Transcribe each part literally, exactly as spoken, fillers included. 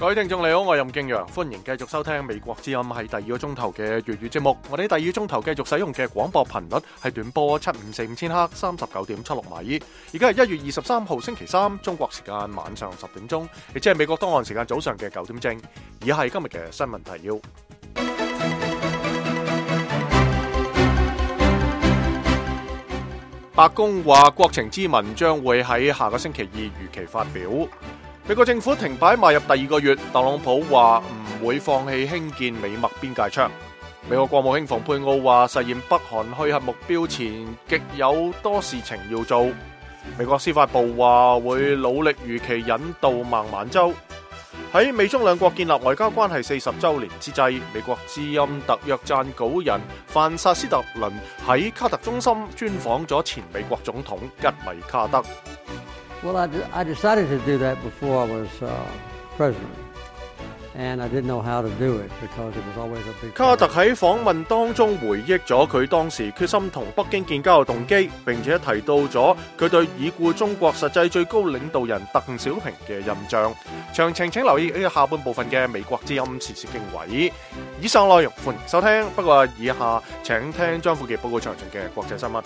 各位聽眾你好，我係任敬陽，歡迎繼續收聽美國之音係第二個鐘頭嘅粵語節目。我哋第二個鐘頭繼續使用嘅廣播頻率係短波七五四五千赫，三十九點七六米。而家係一月二十三號星期三，中國時間晚上十點鐘，亦即係美國當岸時間早上嘅九點正。以下係今日嘅新聞提要。白宮話國情咨文將會喺下個星期二如期發表。美國政府停擺邁入第二個月，特朗普話唔會放棄興建美墨邊界牆。美國國務卿蓬佩奧話實現北韓去核目標前極有多事情要做。美國司法部話會努力如期引渡孟晚舟。喺美中兩國建立外交關係四十週年之際，美國之音特約撰稿人范薩斯特倫喺卡特中心專訪咗前美國總統吉米卡特。Well, I, I decided to do that before I was uh, president, and I didn't know how to do it because it was always a big. 卡特喺訪問當中回憶咗佢當時決心同北京建交嘅動機，並且提到咗佢對已故中國實際最高領導人鄧小平嘅印象。詳情請留意呢個下半部分嘅美國之音時事經緯。以上內容歡迎收聽，不過以下請聽張富傑報告詳盡嘅國際新聞。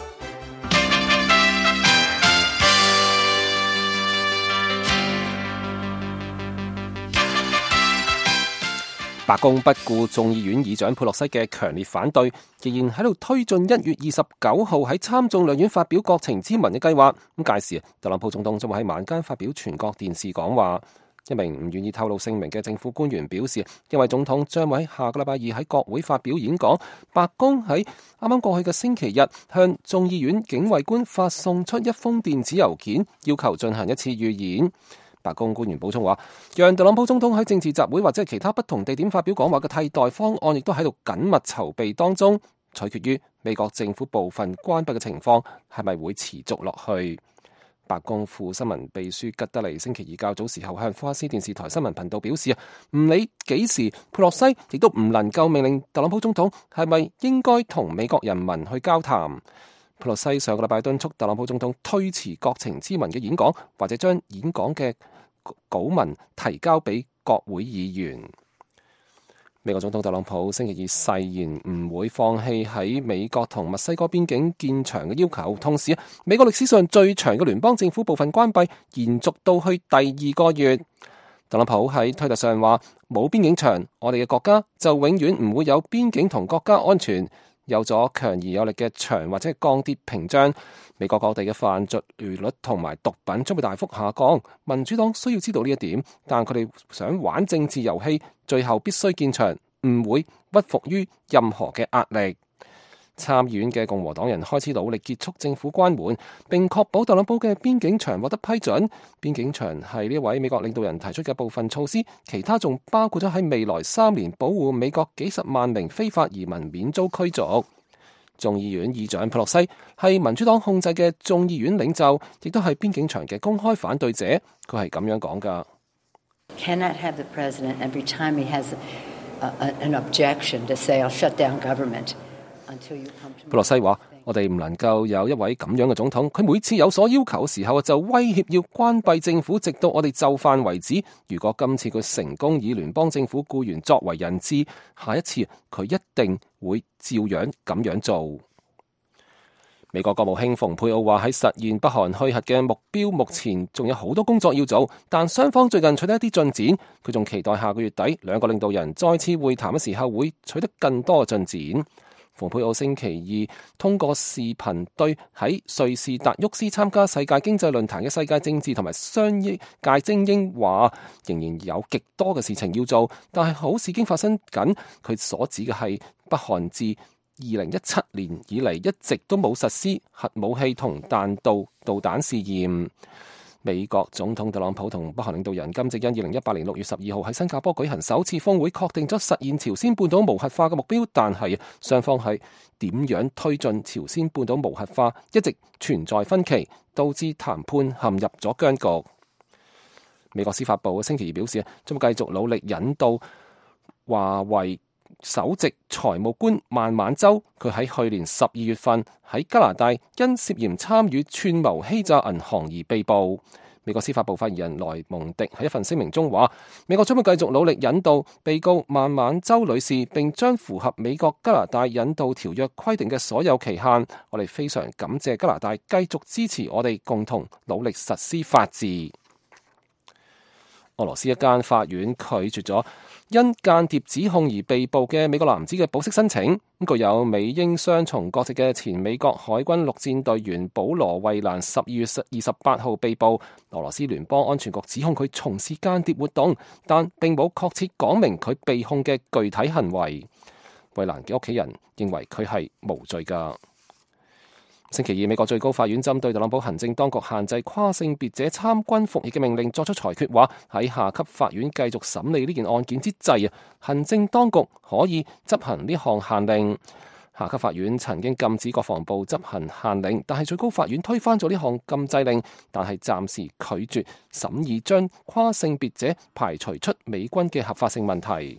白宮不顧眾議院議長佩洛西嘅強烈反對，仍然喺度推進一月二十九號喺參眾兩院發表國情咨文嘅計劃。咁屆時，特朗普總統將會喺晚間發表全國電視講話。一名唔願意透露姓名嘅政府官員表示，因為總統將會喺下個禮拜二喺國會發表演講，白宮喺啱啱過去嘅星期日向眾議院警衛官發送出一封電子郵件，要求進行一次預演。白宮官員補充話，讓特朗普總統喺政治集會或者其他不同地點發表講話嘅替代方案，亦都喺度緊密籌備當中，取決於美國政府部分關閉嘅情況係咪會持續落去。白宮副新聞秘書吉德利星期二較早時候向福克斯電視台新聞頻道表示，唔理幾時佩洛西亦都唔能夠命令特朗普總統係咪應該同美國人民去交談。佩洛西上個禮拜敦促特朗普總統推遲國情咨文嘅演講，或者將演講嘅稿文提交俾國會議員。美國總統特朗普星期二誓言唔會放棄喺美國同墨西哥邊境建牆嘅要求，同時美國歷史上最長嘅聯邦政府部分關閉延續到去第二個月。特朗普喺推特上話：冇邊境牆，我哋嘅國家就永遠唔會有邊境同國家安全。有咗強而有力嘅牆或者係鋼鐵屏障，美國各地嘅犯罪率同埋毒品將會大幅下降。民主黨需要知道呢一點，但佢哋想玩政治遊戲，最後必須建牆，唔會屈服於任何嘅壓力。參議院嘅共和黨人開始努力結束政府關門，並確保特朗普嘅邊境牆獲得批准。邊境牆係呢位美國領導人提出嘅部分措施，其他仲包括咗喺未來三年保護美國幾十萬名非法移民免遭驅逐。眾議院議長佩洛西係民主黨控制嘅眾議院領袖，亦都係邊境牆嘅公開反對者。佢係咁樣講㗎。Cannot have the president every time he has a, a, an objection to say I'll shut down government.佩洛西話：我哋唔能夠有一位咁樣嘅總統，佢每次有所要求嘅時候就威脅要關閉政府，直到我哋就範為止。如果今次佢成功以聯邦政府僱員作為人質，下一次佢一定會照樣咁樣做。美國國務卿蓬佩奧話：喺實現北韓去核嘅目標，目前仲有好多工作要做，但雙方最近取得一啲進展。佢仲期待下個月底兩個領導人再次會談嘅時候會取得更多嘅進展。蓬佩奧星期二通過視頻對喺瑞士達沃斯參加世界經濟論壇嘅世界政治同埋商業界精英話，仍然有極多嘅事情要做，但係好事已經發生緊。佢所指嘅係北韓自二零一七年以嚟一直都冇實施核武器同彈道導彈試驗。美國總統特朗普同北韓領導人金正恩二零一八年六月十二號喺新加坡舉行首次峰會，確定咗實現朝鮮半島無核化嘅目標，但係雙方係點樣推進朝鮮半島無核化一直存在分歧，導致談判陷入咗僵局。美國司法部星期二表示，將會繼續努力引導華為首席財務官孟晚舟，佢喺去年十二月份喺加拿大因涉嫌參與串謀欺詐銀行而被捕。美國司法部發言人萊蒙迪喺一份聲明中話，美國將會繼續努力引渡被告孟晚舟女士，並將符合美國加拿大引渡條約規定嘅所有期限。我哋非常感謝加拿大繼續支持我哋，共同努力實施法治。俄羅斯一間法院拒絕咗因間諜指控而被捕嘅美國男子嘅保釋申請。具有美英雙重國籍嘅前美國海軍陸戰隊員保羅惠蘭十二月二十八號被捕。俄羅斯聯邦安全局指控佢從事間諜活動，但並冇確切講明佢被控嘅具體行為。惠蘭嘅屋企人認為佢係無罪㗎。星期二，美國最高法院針對特朗普行政當局限制跨性別者參軍服役嘅命令作出裁決，話喺下級法院繼續審理呢件案件之際啊，行政當局可以執行呢項限令。下級法院曾經禁止國防部執行限令，但係最高法院推翻咗呢項禁制令，但係暫時拒絕審議將跨性別者排除出美軍嘅合法性問題。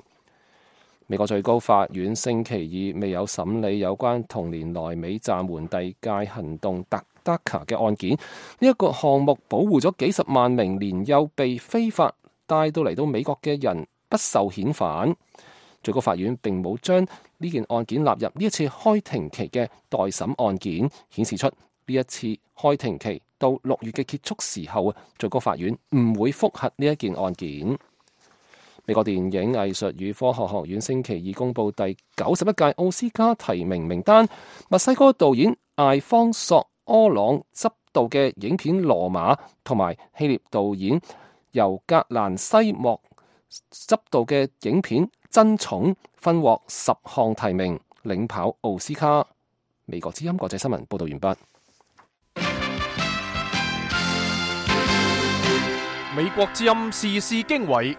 美國最高法院星期二未有審理有關同年內美暫緩遞解行動特德卡嘅案件。呢、這、一個項目保護咗幾十萬名年幼被非法帶到嚟到美國嘅人不受遣返。最高法院並冇將呢件案件納入呢一次開庭期嘅待審案件，顯示出呢一次開庭期到六月嘅結束時候啊，最高法院唔會覆核呢一件案件。美國電影藝術與科學學院星期二公布第九十一屆奧斯卡提名名單，墨西哥導演艾方索柯朗執導嘅影片《羅馬》同埋希臘導演尤格蘭西莫執導嘅影片《爭寵》分獲十項提名，領跑奧斯卡。美國之音國際新聞報道完畢。美國之音時事經緯。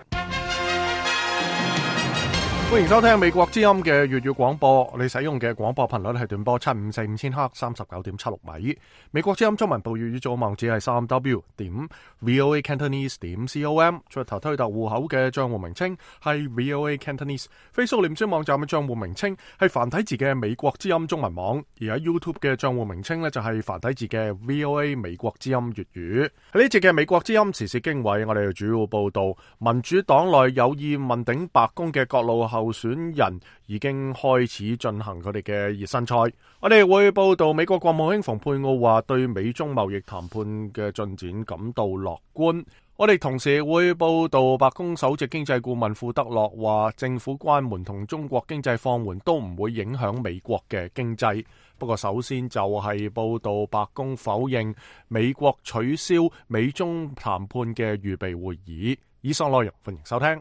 歡迎收聽美國之音嘅粵語廣播，我哋使用嘅廣播頻率係短波七五四五千赫三十九點七六米。美國之音中文部粵語組網址係三 w 點 voa cantonese 點 com， 出頭推特戶口嘅賬戶名稱係 voa cantonese。Facebook 臉書網站嘅賬戶名稱係繁體字嘅美國之音中文網，而喺 YouTube 嘅賬戶名稱呢，就係繁體字嘅 voa 美國之音粵語。喺呢節嘅美國之音時事經緯，我哋主要報道民主黨內有意問鼎白宮嘅各路候選人已經開始進行佢哋嘅熱身賽。我哋會報道美國國務卿蓬佩奧話對美中貿易談判嘅進展感到樂觀。我哋同時會報道白宮首席經濟顧問庫德洛話政府關門同中國經濟放緩都唔會影響美國嘅經濟。不過首先就係報道白宮否認美國取消美中談判嘅預備會議。以上內容歡迎收聽。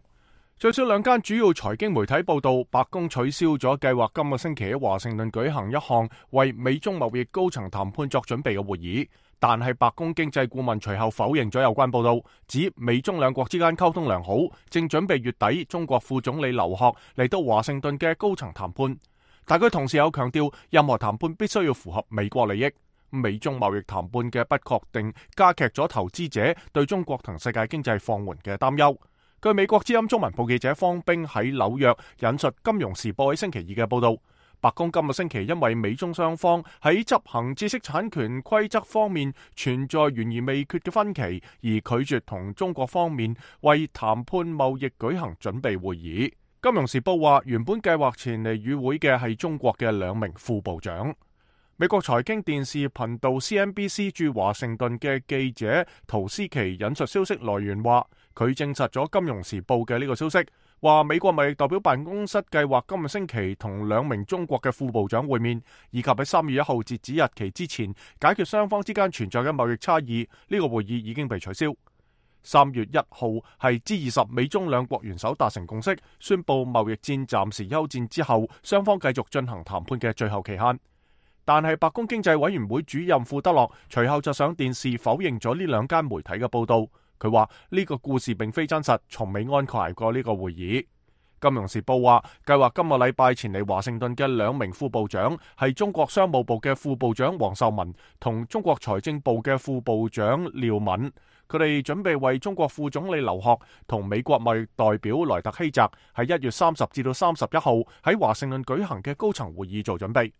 最少兩間主要財經媒體報道，白宮取消咗計劃今個星期喺華盛頓舉行一項為美中貿易高層談判作準備嘅會議，但係白宮經濟顧問隨後否認咗有關報道，指美中兩國之間溝通良好，正準備月底中國副總理劉鶴嚟到華盛頓嘅高層談判。但佢同時有強調，任何談判必須要符合美國利益。美中貿易談判嘅不確定加劇咗投資者對中國同世界經濟放緩嘅擔憂。據美國之音中文部記者方冰喺紐約引述《金融時報》喺星期二嘅報道，白宮今個星期因為美中雙方喺執行知識產權規則方面存在懸而未決嘅分歧，而拒絕同中國方面為談判貿易舉行準備會議。《金融時報》話，原本計劃前嚟與會嘅係中國嘅兩名副部長。美國財經電視頻道 C N B C 駐華盛頓嘅記者陶斯奇引述消息來源話，佢證實咗《金融時報》嘅呢個消息，話美國貿易代表辦公室計劃今個星期同兩名中國嘅副部長會面，以及喺三月一號截止日期之前解決雙方之間存在嘅貿易差異。呢個會議已經被取消。三月一號係 G 二十美中兩國元首達成共識，宣布貿易戰暫時休戰之後，雙方繼續進行談判嘅最後期限。但係白宮經濟委員會主任庫德洛隨後就上電視否認咗呢兩間媒體嘅報道。佢話呢個故事並非真實，從未安排過呢個會議。金融時報話，計劃今個禮拜前嚟華盛頓嘅兩名副部長係中國商務部嘅副部長王受文同中國財政部嘅副部長廖敏。佢哋準備為中國副總理劉鶴同美國貿易代表萊特希澤喺一月三十至到三十一號喺華盛頓舉行嘅高層會議做準備。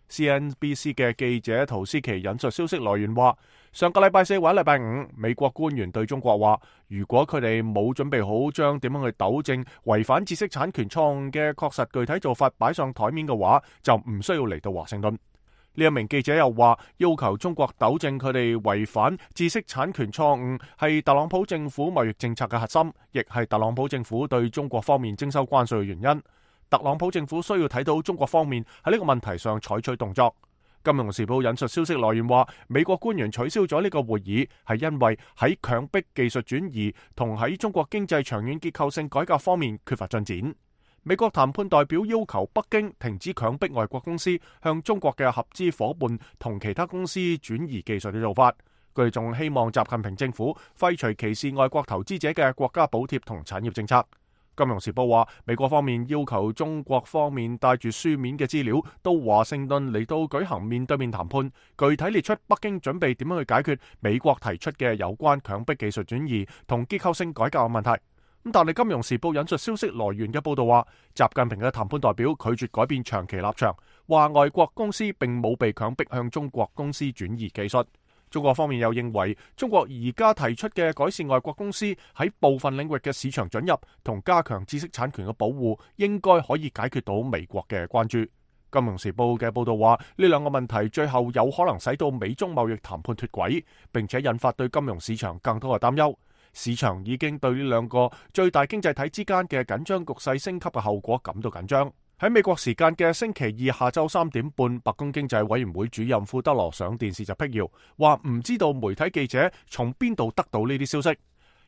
C N B C 嘅記者陶斯奇引述消息來源話，上個禮拜四或者禮拜五，美國官員對中國話，如果佢哋冇準備好將點樣去糾正違反知識產權錯誤嘅確實具體做法擺上台面嘅話，就唔需要嚟到華盛頓。呢一名記者又話，要求中國糾正佢哋違反知識產權錯誤係特朗普政府貿易政策嘅核心，亦係特朗普政府對中國方面徵收關稅嘅原因。特朗普政府需要睇到中國方面喺呢個問題上採取動作。金融時報引述消息來源話，美國官員取消咗呢個會議，係因為喺強迫技術轉移同喺中國經濟長遠結構性改革方面缺乏進展。美國談判代表要求北京停止強迫外國公司向中國嘅合資夥伴同其他公司轉移技術嘅做法。佢哋仲希望習近平政府廢除歧視外國投資者嘅國家補貼同產業政策。金融時報話，美國方面要求中國方面帶住書面嘅資料到華盛頓嚟到舉行面對面談判，具體列出北京準備點樣去解決美國提出嘅有關強迫技術轉移同結構性改革嘅問題。咁但係金融時報引述消息來源嘅報道話，習近平嘅談判代表拒絕改變長期立場，話外國公司並冇被強迫向中國公司轉移技術。中國方面又認為，中國而家提出嘅改善外國公司喺部分領域嘅市場准入同加強知識產權嘅保護，應該可以解決到美國嘅關注。金融時報嘅報道話，呢兩個問題最後有可能使到美中貿易談判脫軌，並且引發對金融市場更多嘅擔憂。市場已經對呢兩個最大經濟體之間嘅緊張局勢升級嘅後果感到緊張。喺美國時間嘅星期二下晝三點半，白宮經濟委員會主任庫德羅上電視就闢謠，話唔知道媒體記者從邊度得到呢啲消息，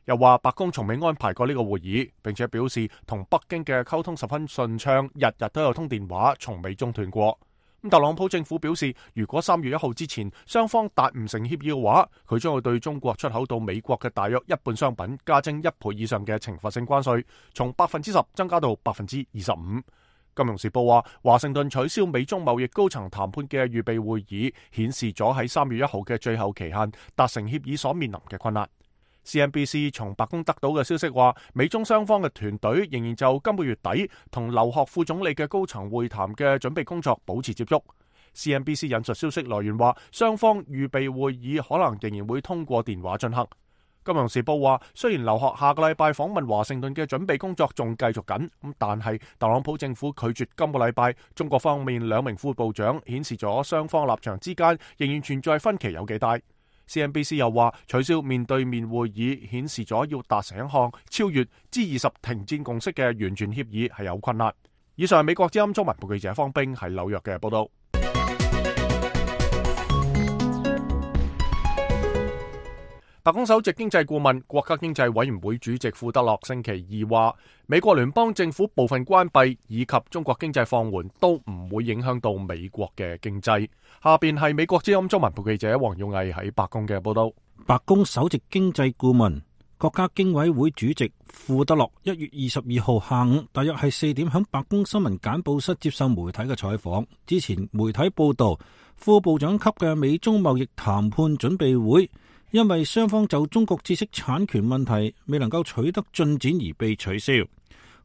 又話白宮從未安排過呢個會議，並且表示同北京嘅溝通十分順暢，日日都有通電話，從未中斷過。咁特朗普政府表示，如果三月一號之前雙方達唔成協議嘅話，佢將會對中國出口到美國嘅大約一半商品加徵一倍以上嘅懲罰性關稅，從百分之十增加到百分之二十五。金融時報話，華盛頓取消美中貿易高層談判嘅預備會議，顯示咗喺三月一號嘅最後期限達成協議所面臨嘅困難。C N B C 從白宮得到嘅消息話，美中雙方嘅團隊仍然就今個月底同劉鶴副總理嘅高層會談嘅準備工作保持接觸。C N B C 引述消息來源話，雙方預備會議可能仍然會通過電話進行。金融時報話，雖然劉鶴下個禮拜訪問華盛頓嘅準備工作仲繼續緊，咁但係特朗普政府拒絕今個禮拜中國方面兩名副部長，顯示咗雙方立場之間仍然存在分歧有幾大。C N B C 又話，取消面對面會議顯示咗要達成一項超越 G 二十停戰共識嘅完全協議係有困難。以上係美國之音中文部記者方冰喺紐約嘅報道。白宮首席經濟顧問、國家經濟委員會主席庫德洛星期二話，美國聯邦政府部分關閉以及中國經濟放緩都唔會影響到美國嘅經濟。下邊係美國之音中文部記者黃耀毅喺白宮嘅報道。白宮首席經濟顧問、國家經委會主席庫德洛一月二十二號下午大約係四點響白宮新聞簡報室接受媒體嘅採訪。之前媒體報道，副部長級嘅美中貿易談判準備會因為雙方就中國知識產權問題未能夠取得進展而被取消。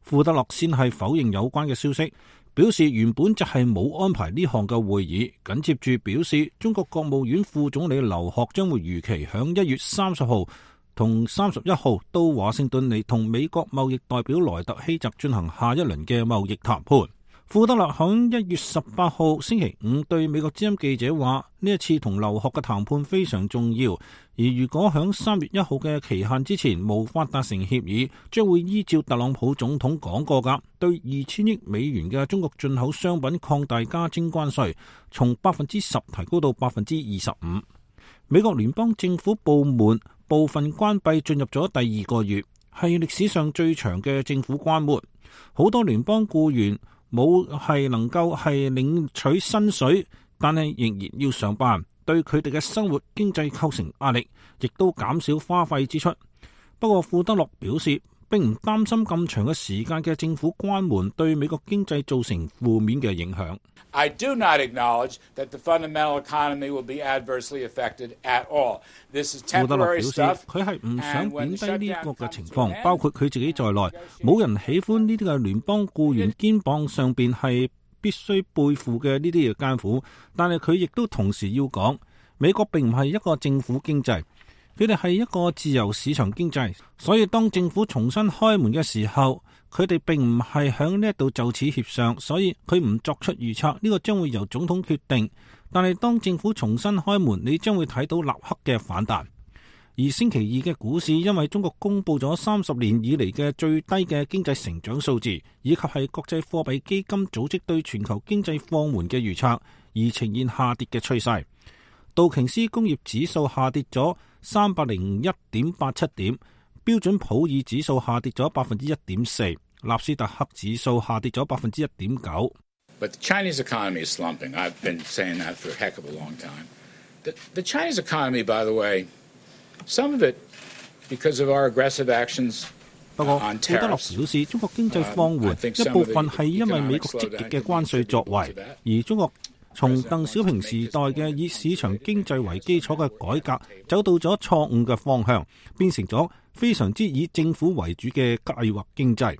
庫德洛先係否認有關嘅消息，表示原本就係冇安排呢項嘅會議。緊接住表示，中國國務院副總理劉鶴將會如期響一月三十號同三十一號到華盛頓嚟同美國貿易代表萊特希澤進行下一輪嘅貿易談判。庫德洛響一月十八號星期五對美國之音記者話，呢一次同劉鶴嘅談判非常重要，而如果響三月一號嘅期限之前無法達成協議，將會依照特朗普總統講過噶，對二千億美元嘅中國進口商品擴大加徵關稅，從百分之十提高到百分之二十五。美國聯邦政府部門部分關閉進入咗第二個月，係歷史上最長嘅政府關門，好多聯邦僱員冇係能夠係領取薪水，但係仍然要上班，對佢哋嘅生活經濟構成壓力，亦都減少花費支出。不過庫德洛表示，並唔擔心咁長嘅時間嘅政府關門對美國經濟造成負面嘅影響。I do not acknowledge that the fundamental economy will be adversely affected at all. This is temporary stuff. 佢係唔想貶低呢個嘅情況，包括佢自己在內，冇人喜歡呢啲嘅聯邦僱員肩膀上邊係必須背負嘅呢啲嘅艱苦。但係佢亦都同時要講，美國並唔係一個政府經濟，佢哋係一個自由市場經濟，所以當政府重新開門嘅時候，佢哋並唔係響呢一度就此協商，所以佢唔作出預測，呢個將會由總統決定。但係當政府重新開門，你將會睇到立刻嘅反彈。而星期二嘅股市因為中國公布咗三十年以嚟嘅最低嘅經濟成長數字，以及係國際貨幣基金組織對全球經濟放緩嘅預測，而呈現下跌嘅趨勢。道瓊斯工業指數下跌咗三百零一點八七點，標準普爾指數下跌咗百分之一點四，納斯達克指數下跌咗百分之一點九。But the Chinese economy is slumping. I've been saying that for a heck of a long time. The, the Chinese economy, by the way, some of it because of our aggressive actions. 不過，庫德洛表示，中國經濟放緩一部分係因為美國積極嘅關稅作為，而中國從鄧小平時代嘅以市場經濟為基礎嘅改革，走到咗錯誤嘅方向，變成咗非常之以政府為主嘅計劃經濟。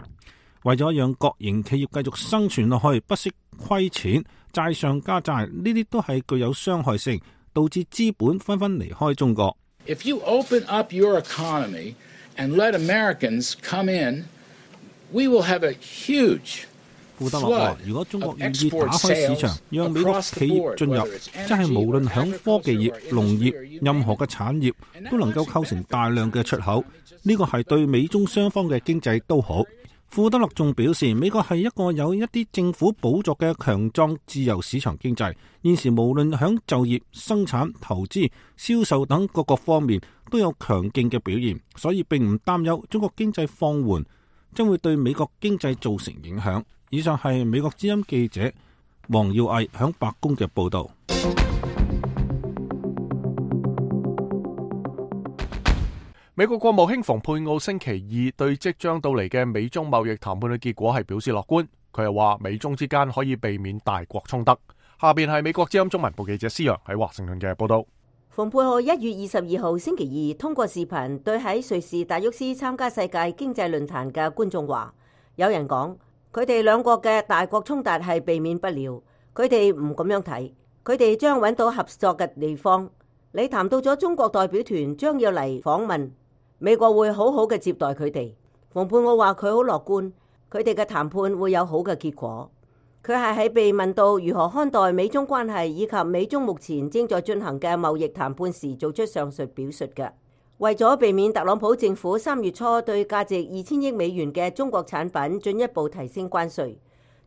為咗讓國營企業繼續生存落去，不惜虧錢、債上加債，呢啲都係具有傷害性，導致資本紛紛離開中國。If you open up your economy and let Americans come in, we will have a huge 庫德洛話：如果中國願意打開市場，讓美國企業進入，即係無論響科技業、農業、任何嘅產業，都能夠構成大量嘅出口。呢個係對美中雙方嘅經濟都好。庫德洛仲表示，美國係一個有一啲政府補助嘅強壯自由市場經濟，現時無論響就業、生產、投資、銷售等各個方面都有強勁嘅表現，所以並唔擔憂中國經濟放緩將會對美國經濟造成影響。以上係美國之音記者黃耀毅響白宮嘅報道。美國國務卿蓬佩奧星期二對即將到嚟嘅美中貿易談判嘅結果係表示樂觀。佢又話美中之間可以避免大國衝突。下邊係美國之音中文部記者施洋喺華盛頓嘅報道。蓬佩奧一月二十二號星期二通過視頻對喺瑞士達沃斯參加世界經濟論壇嘅觀眾話：有人講佢哋兩國嘅大國衝突係避免不了，佢哋唔咁樣睇，佢哋將揾到合作嘅地方。你談到咗中國代表團將要嚟訪問。美國會好好嘅接待佢哋。蓬佩奧話佢好樂觀，佢哋嘅談判會有好嘅結果。佢係喺被問到如何看待美中關係以及美中目前正在進行嘅貿易談判時，做出上述表述嘅。為咗避免特朗普政府三月初對價值二千億美元嘅中國產品進一步提升關稅，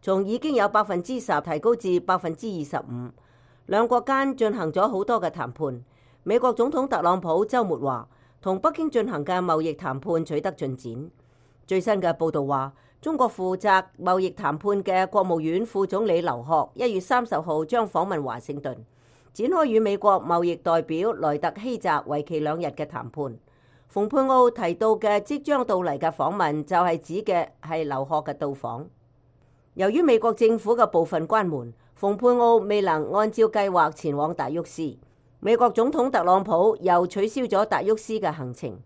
從已經有百分之十提高至百分之二十五，兩國間進行咗好多嘅談判。美國總統特朗普週末話，同北京進行嘅貿易談判取得進展。最新嘅報導話，中國負責貿易談判嘅國務院副總理劉鶴一月三十號將訪問華盛頓，展開與美國貿易代表萊特希澤為期兩日嘅談判。蓬佩奧提到嘅即將到嚟嘅訪問就係指嘅係劉鶴嘅到訪。由於美國政府嘅部分關門，蓬佩奧未能按照計劃前往達沃斯。美國總統特朗普又取消咗達沃斯嘅行程。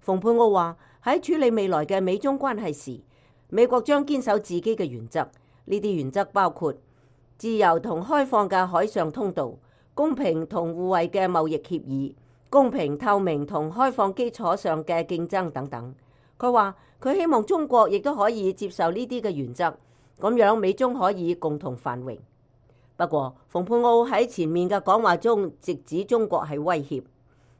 蓬佩奧話喺處理未來嘅美中關係時，美國將堅守自己嘅原則。呢啲原則包括自由同開放嘅海上通道、公平同互惠嘅貿易協議、公平透明同開放基礎上嘅競爭等等。佢話佢希望中國亦都可以接受呢啲嘅原則，咁樣美中可以共同繁榮。不過，蓬佩奧喺前面嘅講話中直指中國係威脅。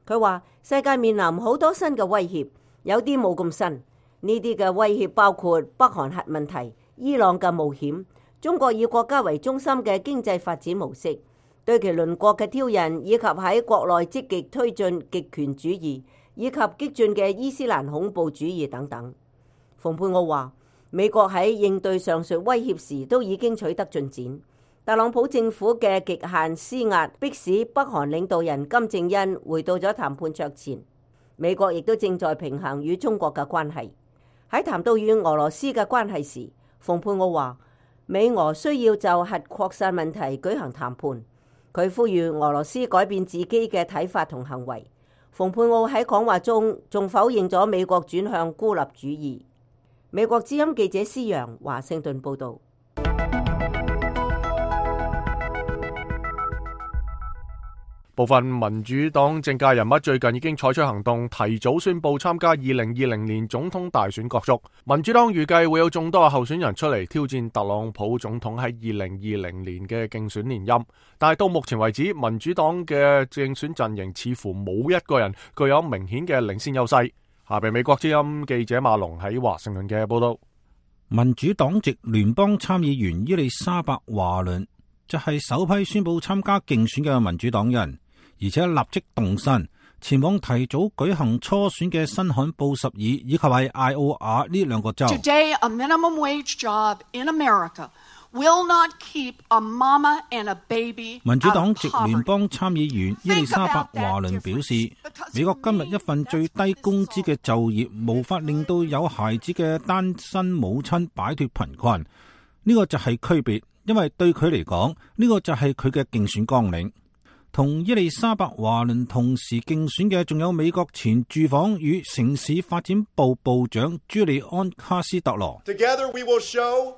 佢話世界面臨好多新嘅威脅，有啲冇咁新。呢啲嘅威脅包括北韓核問題、伊朗嘅冒險、中國以國家為中心嘅經濟發展模式、對其鄰國嘅挑釁，以及喺國內積極推進極權主義以及激進嘅伊斯蘭恐怖主義等等。蓬佩奧話美國喺應對上述威脅時都已經取得進展。特朗普政府嘅極限施壓，迫使北韓領導人金正恩回到咗談判桌前。美國亦都正在平衡與中國嘅關係。喺談到與俄羅斯嘅關係時，蓬佩奧話美俄需要就核擴散問題舉行談判。佢呼籲俄羅斯改變自己嘅睇法同行為。蓬佩奧喺講話中仲否認咗美國轉向孤立主義。美國之音記者施洋華盛頓報導。部分民主黨政界人物最近已經採取行動，提早宣布參加二零二零年總統大選角逐。民主黨預計會有眾多候選人出嚟挑戰特朗普總統喺二零二零年嘅競選連任，但係到目前為止，民主黨嘅競選陣營似乎冇一個人具有明顯嘅領先優勢。下邊美國之音記者馬龍喺華盛頓嘅報道。民主黨籍聯邦參議員伊麗莎白華倫就係首批宣布參加競選嘅民主黨人，而且立即動身前往提早舉行初選嘅新罕布什爾以及係艾奧瓦呢兩個州。Today, a minimum wage job in America will not keep a mama and a baby. 民主黨籍聯邦參議員伊麗莎白華倫表示，美國今日一份最低工資嘅就業無法令到有孩子嘅單身母親擺脫貧困，呢個就係區別，因為對佢嚟講，呢個就係佢嘅競選綱領。同伊麗莎白華倫同時競選嘅仲有美國前住房與城市發展部部長朱利安卡斯特羅。Together we will show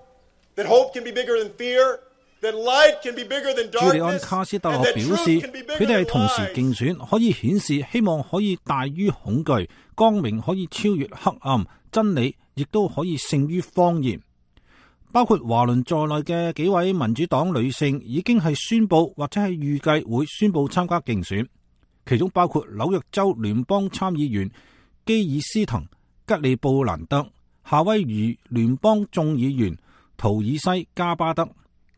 that hope can be bigger than fear, that light can be bigger than darkness. 朱利安卡斯特羅表示，佢哋係同時競選，可以顯示希望可以大於恐懼，光明可以超越黑暗，真理亦都可以勝於謊言。包括華倫在內嘅幾位民主黨女性已經係宣布或者係預計會宣布參加競選，其中包括紐約州聯邦參議員基爾斯滕、吉利布蘭德、夏威夷聯邦眾議員圖爾西加巴德、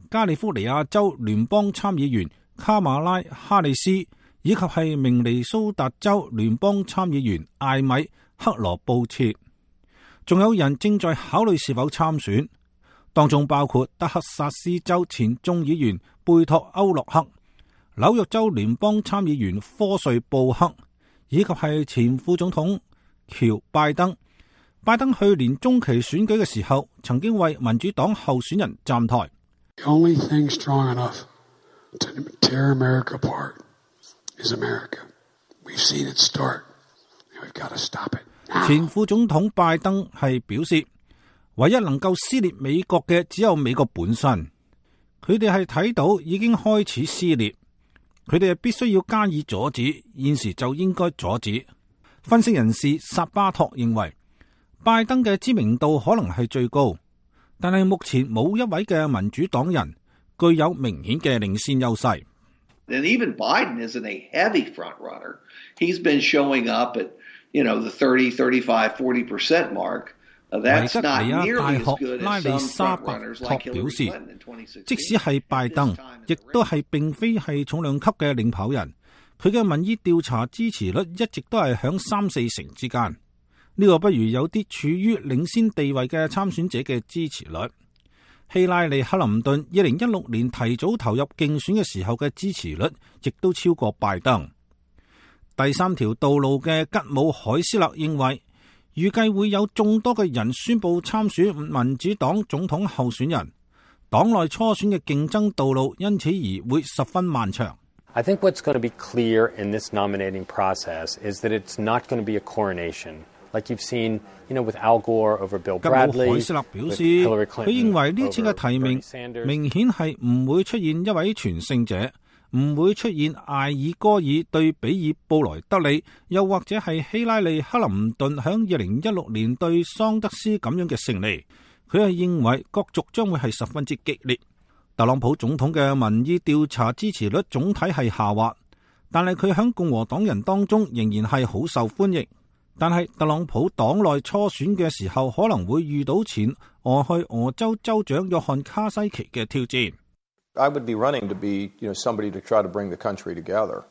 加利福尼亞州聯邦參議員卡馬拉哈里斯，以及係明尼蘇達州聯邦參議員艾米克羅布切。仲有人正在考慮是否參選，當中包括德克薩斯州前眾議員貝托歐洛克、紐約州聯邦參議員科瑞布克，以及係前副總統喬拜登。拜登去年中期選舉嘅時候，曾經為民主黨候選人站台。The only thing strong enough to tear America apart is America. We've seen it start. We've got to stop it. 前副總統拜登係表示，唯一能夠撕裂美國嘅只有美國本身。佢哋係睇到已經開始撕裂，佢哋係必須要加以阻止，現時就應該阻止。分析人士薩巴托認為，拜登嘅知名度可能係最高，但係目前冇一位嘅民主黨人具有明顯嘅領先優勢。And even Biden isn't a heavy front runner. He's been showing up at, you know, the thirty, thirty-five, forty percent mark. 維吉尼亞大學拉里沙伯托表示，即使係拜登，亦都係並非係重量級嘅領跑人，佢嘅民意調查支持率一直都係響三四成之間。呢個不如有啲處於領先地位嘅參選者嘅支持率。希拉里克林頓二零一六年提早投入競選嘅時候嘅支持率亦都超過拜登。第三條道路嘅吉姆海斯勒認為，預計會有眾多嘅人宣布參選民主黨總統候選人，黨內初選嘅競爭道路因此而會十分漫長。I think what's going to be clear in this nominating process is that it's not going to be a coronation, like you've seen, you know, with Al Gore over Bill Bradley. 吉姆海斯勒表示，佢認為呢次嘅提名明顯係唔會出現一位全勝者。唔會出現艾爾戈爾對比爾布萊德利，又或者係希拉里克林頓響二零一六年對桑德斯咁樣嘅勝利。佢係認為角逐將會係十分之激烈。特朗普總統嘅民意調查支持率總體係下滑，但係佢響共和黨人當中仍然係好受歡迎。但係特朗普黨內初選嘅時候可能會遇到前俄亥俄州州長約翰卡西奇嘅挑戰。I would be running to be, you know, somebody to try to bring the country together.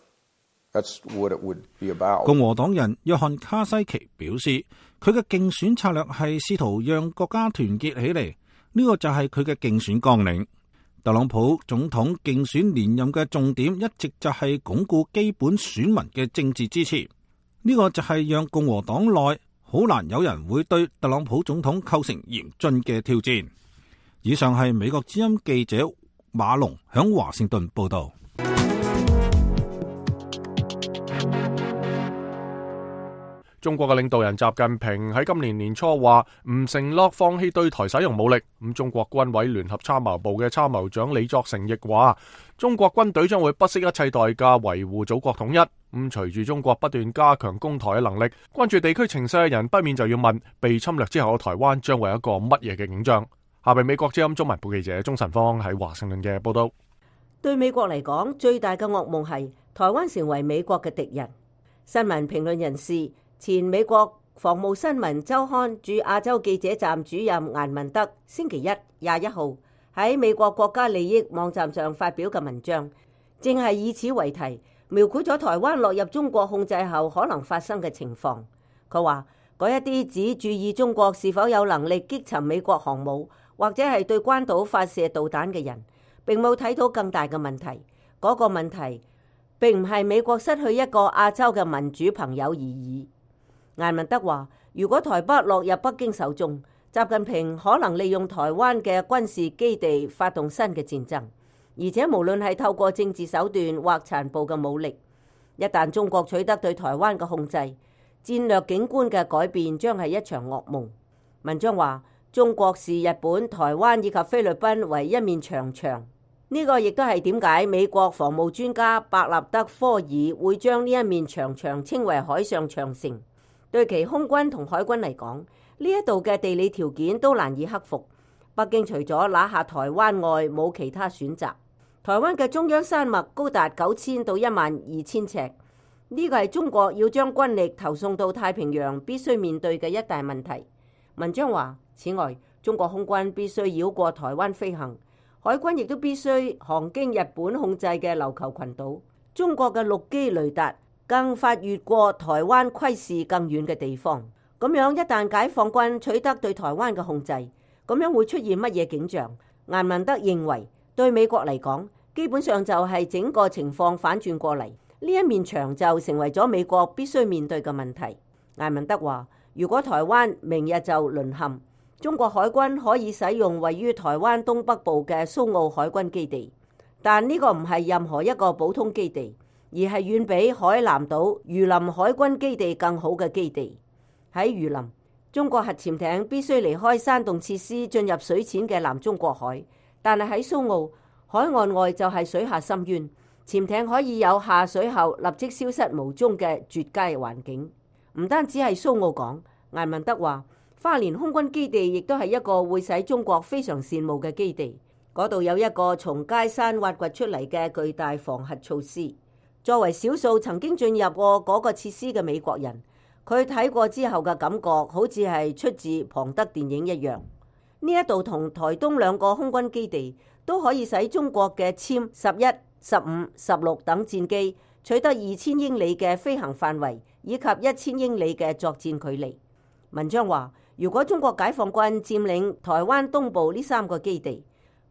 That's what it would be about. 共和黨人約翰卡西奇表示，佢嘅競選策略係試圖讓國家團結起嚟，呢個就係佢嘅競選綱領。特朗普總統競選連任嘅重點一直就係鞏固基本選民嘅政治支持，呢個就係讓共和黨內好難有人會對特朗普總統構成嚴峻嘅挑戰。以上係美國之音記者馬龍響華盛頓報道。中國嘅領導人習近平喺今年年初話唔承諾放棄對台使用武力。咁中國軍委聯合參謀部嘅參謀長李作成亦話，中國軍隊將會不惜一切代價維護祖國統一。咁隨住中國不斷加強攻台嘅能力，關注地區情勢嘅人不免就要問，被侵略之後嘅台灣將會有一個乜嘢嘅景象？下邊美國之音中文部記者鍾晨芳喺華盛頓嘅報道。對美國嚟講，最大嘅噩夢係台灣成為美國嘅敵人。新聞評論人士、前美國防務新聞週刊駐亞洲記者站主任顏文德星期一廿一號喺美國國家利益網站上發表嘅文章，正係以此為題，描繪咗台灣落入中國控制後可能發生嘅情況。佢話嗰一啲只注意中國是否有能力擊沉美國航母，或者係對關島發射導彈嘅人，並冇睇到更大嘅問題。嗰個問題並唔係美國失去一個亞洲嘅民主朋友而已。顏文德話，如果台北落入北京手中，習近平可能利用台灣嘅軍事基地發動新嘅戰爭，而且無論係透過政治手段或殘暴嘅武力，一旦中國取得對台灣嘅控制，戰略景觀嘅改變將係一場噩夢。文章話，中國視日本、台灣以及菲律賓為一面長牆。呢個亦都係點解美國防務專家伯納德科爾會將呢一面長牆稱為海上長城。對其空軍同海軍嚟講，呢一度嘅地理條件都難以克服。北京除咗拿下台灣外，冇其他選擇。台灣嘅中央山脈高達九千到一萬二千尺，呢個係中國要將軍力投送到太平洋必須面對嘅一大問題。文章話，此外，中國空軍必須繞過台灣飛行。海軍亦都必須航經日本控制嘅琉球群島，中國嘅陸基雷達更發越過台灣窺視更遠嘅地方。咁樣一旦解放軍取得對台灣嘅控制，咁樣會出現乜嘢景象？顏文德認為，對美國嚟講，基本上就係整個情況反轉過嚟，呢一面牆就成為咗美國必須面對嘅問題。顏文德話，如果台灣明日就淪陷，中國海軍可以使用位於台灣東北部嘅蘇澳海軍基地，但呢個唔係任何一個普通基地，而係遠比海南島榆林海軍基地更好嘅基地。喺榆林，中國核潛艇必須離開山洞設施進入水淺嘅南中國海，但係喺蘇澳海岸外就係水下深淵，潛艇可以有下水後立即消失無蹤嘅絕佳環境。唔單止係蘇澳港，顏文德話，花蓮空軍基地亦都係一個會使中國非常羨慕嘅基地，嗰度有一個從街山挖掘出嚟嘅巨大防核措施。作為少數曾經進入過嗰個設施嘅美國人，佢睇過之後嘅感覺好似係出自龐德電影一樣。呢一度同台東兩個空軍基地都可以使中國嘅殲十一、十五、十六等戰機取得二千英里嘅飛行範圍，以及一千英里嘅作戰距離。文章話，如果中國解放軍佔領台灣東部呢三個基地，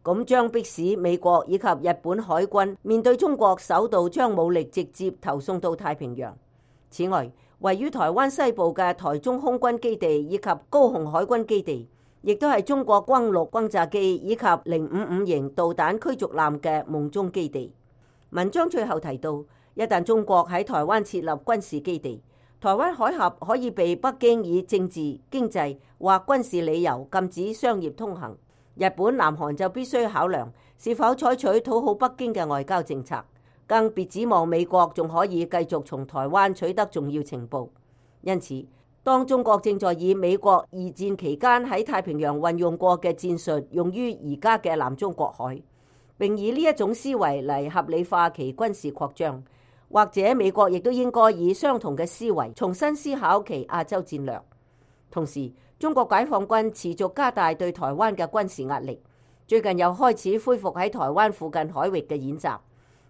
咁將迫使美國以及日本海軍面對中國首度將武力直接投送到太平洋。此外，位於台灣西部嘅台中空軍基地以及高雄海軍基地，亦都係中國轟六轟炸機以及零五五型導彈驅逐艦嘅夢中基地。文章最後提到，一旦中國喺台灣設立軍事基地，台灣海峽可以被北京以政治、經濟或軍事理由禁止商業通行。日本、南韓就必須考量是否採取討好北京嘅外交政策，更別指望美國仲可以繼續從台灣取得重要情報。因此，當中國正在以美國二戰期間喺太平洋運用過嘅戰術用於而家嘅南中國海，並以呢一種思維嚟合理化其軍事擴張，或者美國亦都應該以相同嘅思維重新思考其亞洲戰略。同時，中國解放軍持續加大對台灣嘅軍事壓力，最近又開始恢復喺台灣附近海域嘅演習。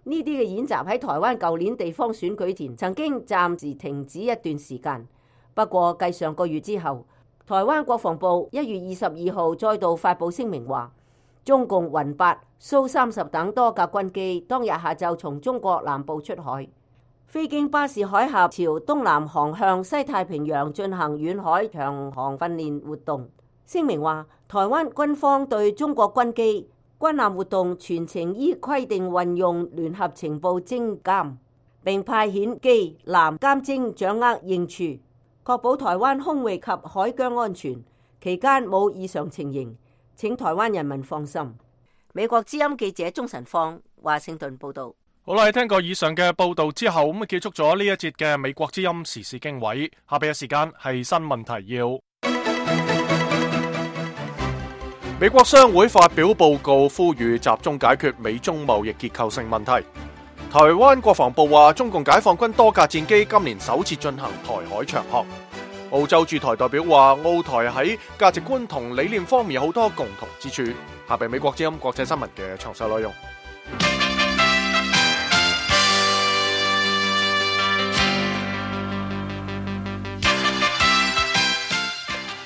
呢啲嘅演習喺台灣舊年地方選舉前曾經暫時停止一段時間，不過繼上個月之後，台灣國防部一月二十二號再度發布聲明話，中共雲八、蘇三十等多架軍機當日下晝從中國南部出海，飛經巴士海峽朝東南航向西太平洋進行遠海長航訓練活動。聲明話，台灣軍方對中國軍機、軍艦活動全程依規定運用聯合情報偵監，並派遣機艦監偵掌握應處。確保台灣空域及海疆安全，期間冇異常情形，請台灣人民放心。美國之音記者鍾晨放華盛頓報道。好啦，聽過以上嘅報道之後，咁啊結束咗呢一節嘅美國之音時事經緯。下邊嘅時間係新聞提要。美國商會發表報告，呼籲集中解決美中貿易結構性問題。台灣國防部話，中共解放軍多架戰機今年首次進行台海長航。澳洲駐台代表話，澳台喺價值觀同理念方面有好多共同之處。下邊美國之音國際新聞嘅詳細內容。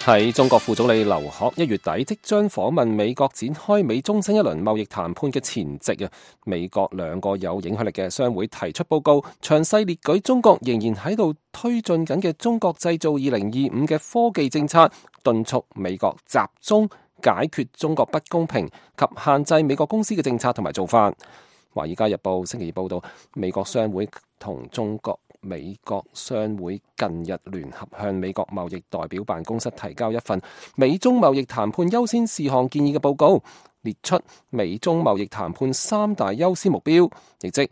喺中國副總理劉鶴一月底即將訪問美國，展開美中新一輪貿易談判嘅前夕啊，美國兩個有影響力嘅商會提出報告，詳細列舉中國仍然喺度推進緊嘅中國製造二零二五嘅科技政策，敦促美國集中解決中國不公平及限制美國公司嘅政策同埋做法。華爾街日報星期二報道，美國商會同中國美國商會近日聯合向美國貿易代表辦公室提交一份美中貿易談判優先事項建議嘅報告，列出美中貿易談判三大優先目標，亦即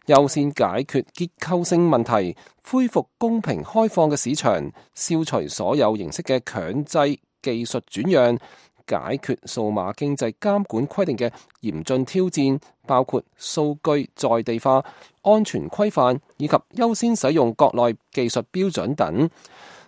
優先解決結構性問題，恢復公平開放嘅市場，消除所有形式嘅強制技術轉讓，解決數碼經濟監管規定嘅嚴峻挑戰，包括數據在地化、安全規範以及優先使用國內技術標準等。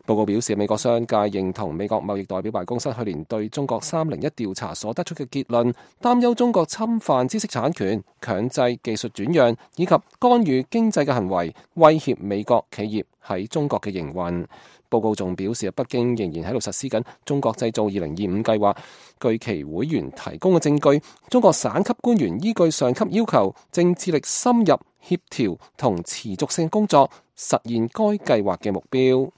報告表示，美國商界認同美國貿易代表辦公室去年對中國三零一調查所得出嘅結論，擔憂中國侵犯知識產權、強制技術轉讓以及干預經濟嘅行為，威脅美國企業喺中國嘅營運。報告仲表示，北京仍然喺度實施緊中國製造二零二五計劃。據其會員提供嘅證據，中國省級官員依據上級要求，正致力深入協調同持續性工作，實現該計劃嘅目標。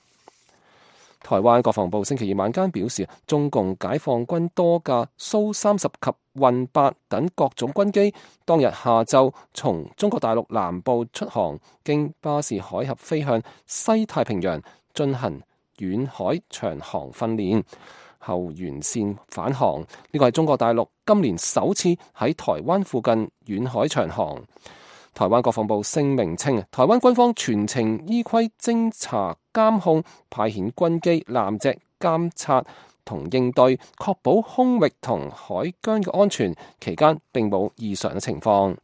台灣國防部星期二晚間表示，中共解放軍多架蘇三十及運八等各種軍機，當日下晝從中國大陸南部出航，經巴士海峽飛向西太平洋，進行遠海長航訓練後沿線返航。呢個係中國大陸今年首次喺台灣附近遠海長航。台灣國防部聲明稱，台灣軍方全程依規偵查監控，派遣軍機艦隻監察同應對，確保空域同海疆嘅安全，期間並冇異常嘅情況。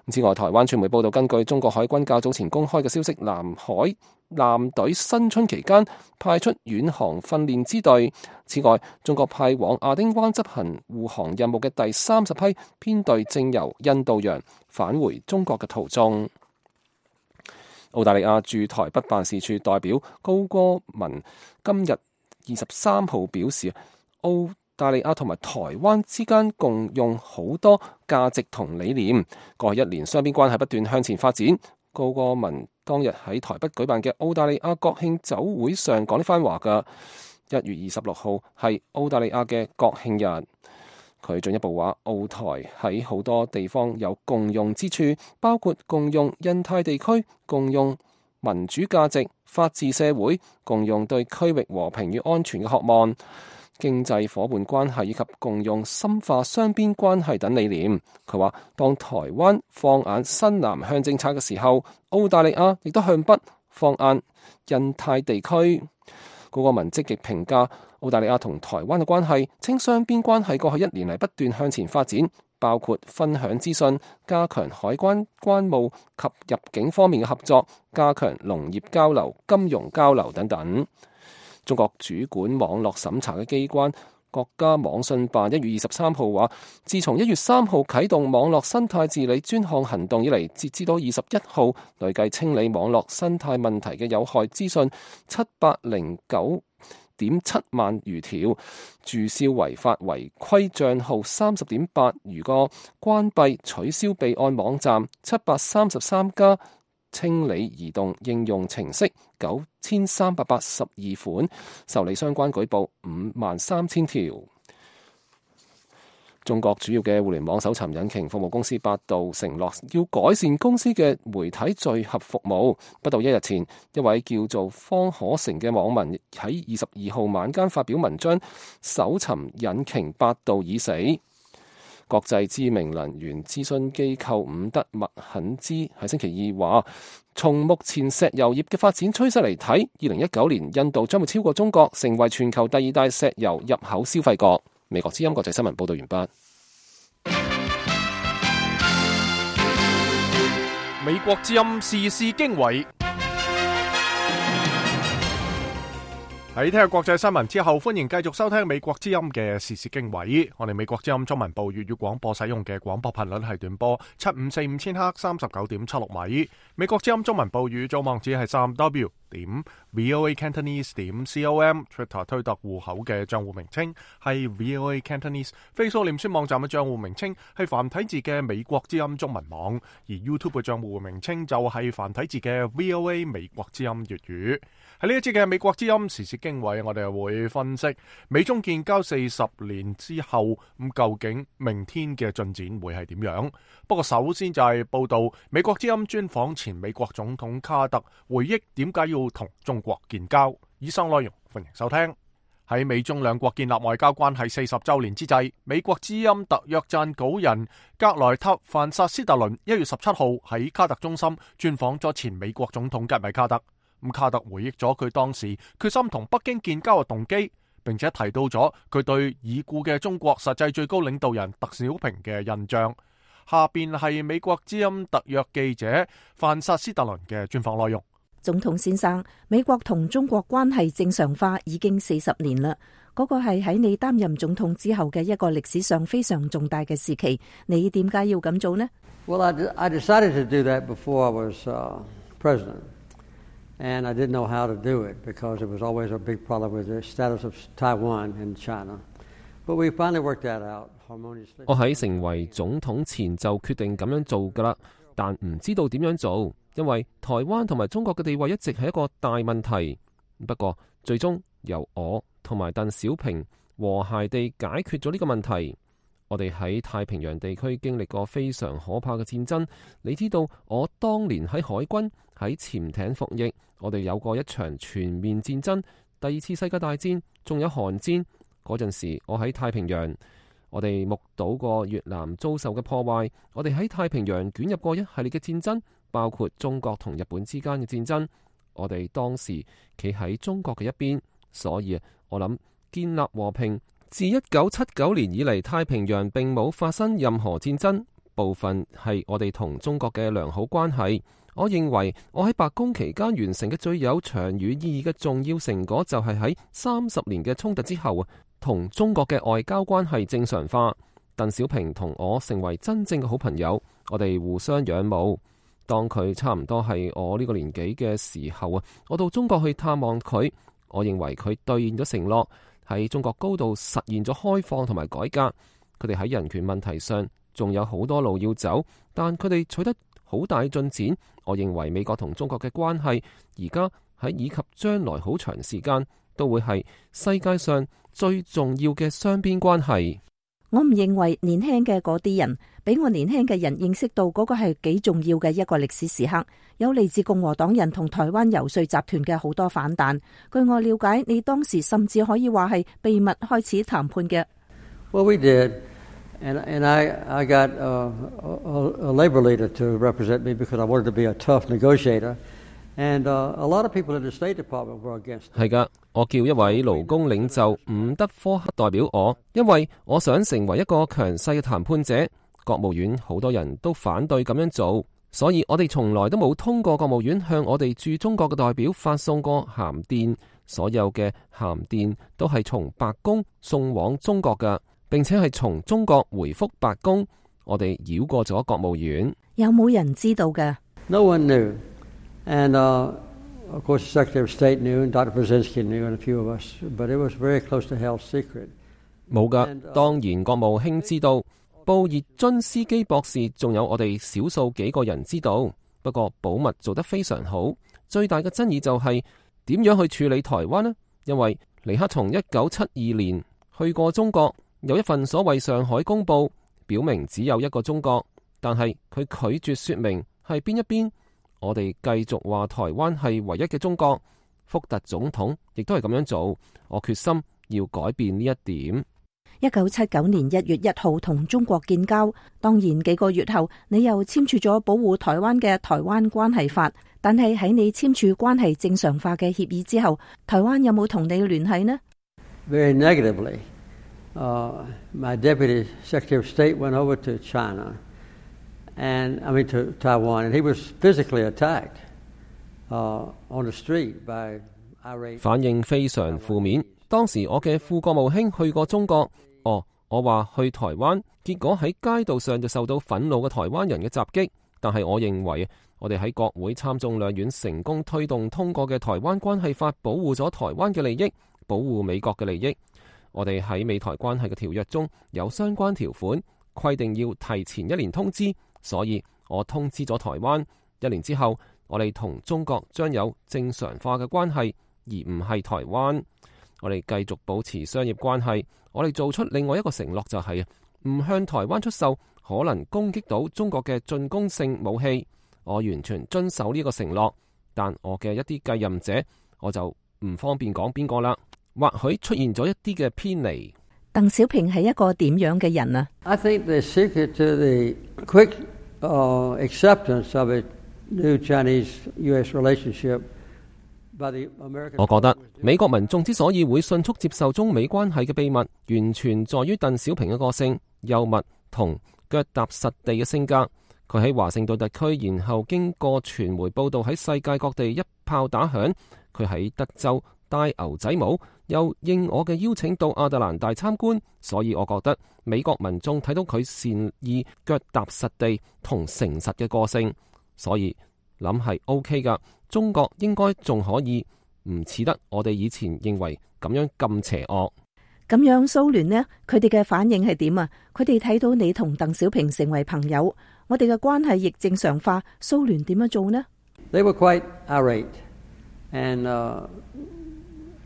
此外，台灣傳媒報道，根據中國海軍較早前公開嘅消息，南海艦隊新春期間派出遠航訓練支隊。此外，中國派往亞丁灣執行護航任務嘅第三十批編隊正由印度洋返回中國嘅途中。澳大利亞駐台北辦事處代表高歌文今日二十三號表示，澳大利亞同埋台灣之間共用好多價值同理念，過去一年雙邊關係不斷向前發展。高歌文當日喺台北舉辦嘅澳大利亞國慶酒會上講呢番話㗎。一月二十六號係澳大利亞嘅國慶日。佢進一步話，澳台喺好多地方有共用之處，包括共用印太地區、共用民主價值、法治社會、共用對區域和平與安全嘅渴望、經濟夥伴關係以及共用深化雙邊關係等理念。佢話，當台灣放眼新南向政策嘅時候，澳大利亞亦都向北放眼印太地區。高歌文積極評價澳大利亞同台灣嘅關係，稱雙邊關係過去一年嚟不斷向前發展，包括分享資訊、加強海關關務及入境方面嘅合作、加強農業交流、金融交流等等。中國主管網絡審查嘅機關國家網信辦一月二十三號話，自從一月三號啟動網絡生態治理專項行動以嚟，截至到二十一號，累計清理網絡生態問題嘅有害資訊七百零九點七萬餘條，註銷違法違規賬號三十點八餘個，關閉取消備案網站七百三十三家，清理移動應用程式九千三百八十二款，受理相關舉報五萬三千條。中國主要嘅互聯網搜尋引擎服務公司百度承諾要改善公司嘅媒體聚合服務。不到一日前，一位叫做方可成嘅網民喺二十二號晚間發表文章，搜尋引擎百度已死。國際知名能源諮詢機構伍德麥肯茲喺星期二話，從目前石油業嘅發展趨勢嚟睇，二零一九年印度將會超過中國，成為全球第二大石油入口消費國。美國之音國際新聞報道完畢。美國之音時事經緯。喺聽日國際新聞之後，歡迎繼續收聽美國之音嘅時事經緯。我哋美國之音中文部粵語廣播使用嘅廣播頻率係短波七五四五千赫三十九點七六米。美國之音中文部語組網址係三 W 點 VOA Cantonese 點 com。Twitter 推特戶口嘅賬戶名稱係 VOA Cantonese。Facebook 臉書網站嘅賬戶名稱係繁體字嘅美國之音中文網，而 YouTube 嘅賬戶名稱就係繁體字嘅 VOA 美國之音粵語。喺呢一節嘅美國之音時事經緯，我哋會分析美中建交四十年之後，咁究竟明天嘅進展會係點樣？不過首先就係報道美國之音專訪前美國總統卡特，回憶點解要同中國建交。以上內容歡迎收聽。喺美中兩國建立外交關係四十週年之際，美國之音特約撰稿人格萊特·范薩斯特倫一月十七號喺卡特中心專訪咗前美國總統吉米卡特。咁卡特回憶咗佢當時決心同北京建交嘅動機，並且提到咗佢對已故嘅中國實際最高領導人鄧小平嘅印象。下邊係美國之音特約記者范薩斯特倫嘅專訪內容。總統先生，美國同中國關係正常化已經四十年啦，嗰個係喺你擔任總統之後嘅一個歷史上非常重大嘅時期。你點解要咁做呢？ Well, I, I decided to do that before I was uh, president. And I didn't know how to do it because it was always a big problem with the status of Taiwan in China. But we finally worked that out harmoniously. 我喺成為總統前就決定咁樣做㗎啦，但唔知道點樣做，因為台灣同埋中國嘅地位一直係一個大問題。不過最終由我同埋鄧小平和諧地解決咗呢個問題。我哋喺太平洋地區經歷過非常可怕嘅戰爭。你知道我當年喺海軍喺潛艇服役，我哋有過一場全面戰爭，第二次世界大戰，仲有韓戰。嗰陣時我喺太平洋，我哋目睹過越南遭受嘅破壞，我哋喺太平洋捲入過一系列嘅戰爭，包括中國同日本之間嘅戰爭。我哋當時企喺中國嘅一邊，所以我諗建立和平。自一九七九年以嚟，太平洋並冇發生任何戰爭，部分係我哋同中國嘅良好關係。我認為我喺白宮期間完成嘅最有長遠意義嘅重要成果，就係喺三十年嘅衝突之後，同中國嘅外交關係正常化。鄧小平同我成為真正嘅好朋友，我哋互相仰慕。當佢差唔多係我呢個年紀嘅時候啊，我到中國去探望佢，我認為佢兌現咗承諾。喺中國高度實現咗開放同埋改革，佢哋喺人權問題上仲有好多路要走，但佢哋取得好大進展。我認為美國同中國嘅關係而家喺以及將來好長時間都會係世界上最重要嘅雙邊關係。我唔認為年輕嘅嗰啲人比我年輕嘅人認識到嗰個係幾重要嘅一個歷史時刻，有嚟自共和黨人同台灣遊說集團嘅好多反彈。據我了解，你當時甚至可以話係秘密開始談判嘅。Well, we did, and and I I got uh, a, a labor leader to represent me because I wanted to be a tough negotiator. And uh, a lot of people in the State Department were against it. 係㗎，我叫一位勞工領袖伍德科克代表我，因為我想成為一個強勢嘅談判者。國務院好多人都反對咁樣做，所以我哋從來都冇通過國務院向我哋駐中國嘅代表發送過函電。所有嘅函電都係從白宮送往中國㗎，並且係從中國回覆白宮。我哋繞過咗國務院。有冇人知道㗎？ No one knew. And, uh, of course, the Secretary of State knew, and Doctor Brzezinski knew, and a few of us, but it was very close to held secret. 冇㗎，當然國務卿知道，布熱津斯基博士仲有我哋少數幾個人知道，不過保密做得非常好。最大嘅爭議就係點樣去處理台灣呢？因為尼克松一九七二年去過中國，有一份所謂上海公報，表明只有一個中國，但係佢拒絕說明係邊一邊。我哋繼續話台灣係唯一嘅中國。福特總統亦都係咁樣做，我決心要改變呢一點。一九七九年一月一號同中國建交，當然幾個月後你又簽署咗保護台灣嘅《台灣關係法》，但係喺你簽署關係正常化嘅協議之後，台灣有冇同你聯繫呢？ Very negatively. Uh, my Deputy Secretary of State went over to China, and I mean to Taiwan, and he was physically attacked uh, on the street by irate. 反應非常負面。當時我嘅副國務卿去過中國，哦，我話去台灣，結果喺街道上就受到憤怒嘅台灣人嘅襲擊。但係我認為，我哋喺國會參眾兩院成功推動通過嘅台灣關係法，保護咗台灣嘅利益，保護美國嘅利益。我哋喺美台關係嘅條約中有相關條款，規定要提前一年通知，所以我通知咗台灣。一年之後，我哋同中國將有正常化嘅關係，而唔係台灣。我哋繼續保持商業關係。我哋做出另外一個承諾，就係唔向台灣出售可能攻擊到中國嘅進攻性武器。我完全遵守呢個承諾，但我嘅一啲繼任者，我就唔方便講邊個啦。或許出現咗一啲嘅偏離。鄧小平係一個點樣嘅人啊？ I think the secret to the quick uh, acceptance of a new Chinese-U S relationship by the American. 我覺得美國民眾之所以會迅速接受中美關係嘅秘密，完全在於鄧小平嘅個性、幽默同腳踏實地嘅性格。佢喺華盛頓特區，然後經過傳媒報道喺世界各地一炮打響。佢喺德州戴牛仔帽，又應我嘅邀請到亞特蘭大參觀，所以我覺得美國民眾睇到佢善意、腳踏實地同誠實嘅個性，所以諗係 OK 噶。中國應該仲可以唔似得我哋以前認為咁樣咁邪惡。咁樣蘇聯呢？佢哋嘅反應係點啊？佢哋睇到你同鄧小平成為朋友，我哋嘅關係亦正常化，蘇聯點樣做呢？ They were quite irate and uh,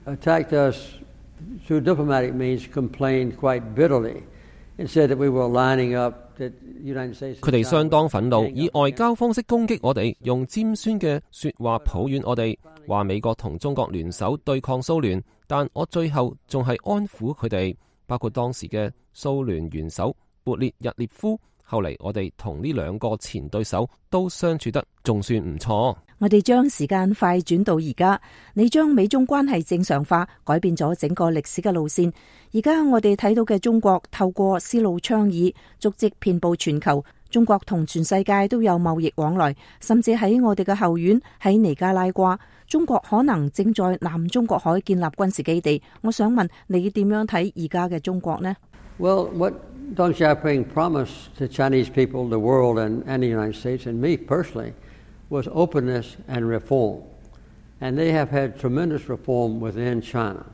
attacked us through diplomatic means, complained quite bitterly, and said that we were lining up that the United States. 佢哋相當憤怒，以外交方式攻擊我哋，用尖酸嘅說話抱怨我哋，話美國同中國聯手對抗蘇聯。但我最後仲係安撫佢哋，包括當時嘅蘇聯元首勃列日涅夫。後嚟我哋同呢兩個前對手都相處得仲算唔錯。我哋將時間快轉到而家，你將美中關係正常化，改變咗整個歷史嘅路線。而家我哋睇到嘅中國透過絲路倡議，足跡遍佈全球。中國同全世界都有貿易往來，甚至喺我哋嘅後院喺尼加拉瓜，中國可能正在南中國海建立軍事基地。我想問你點樣睇而家嘅中國呢？ Well, what Deng Xiaoping promised the Chinese people, the world, and, and the United States, and me personally, was openness and reform. And they have had tremendous reform within China.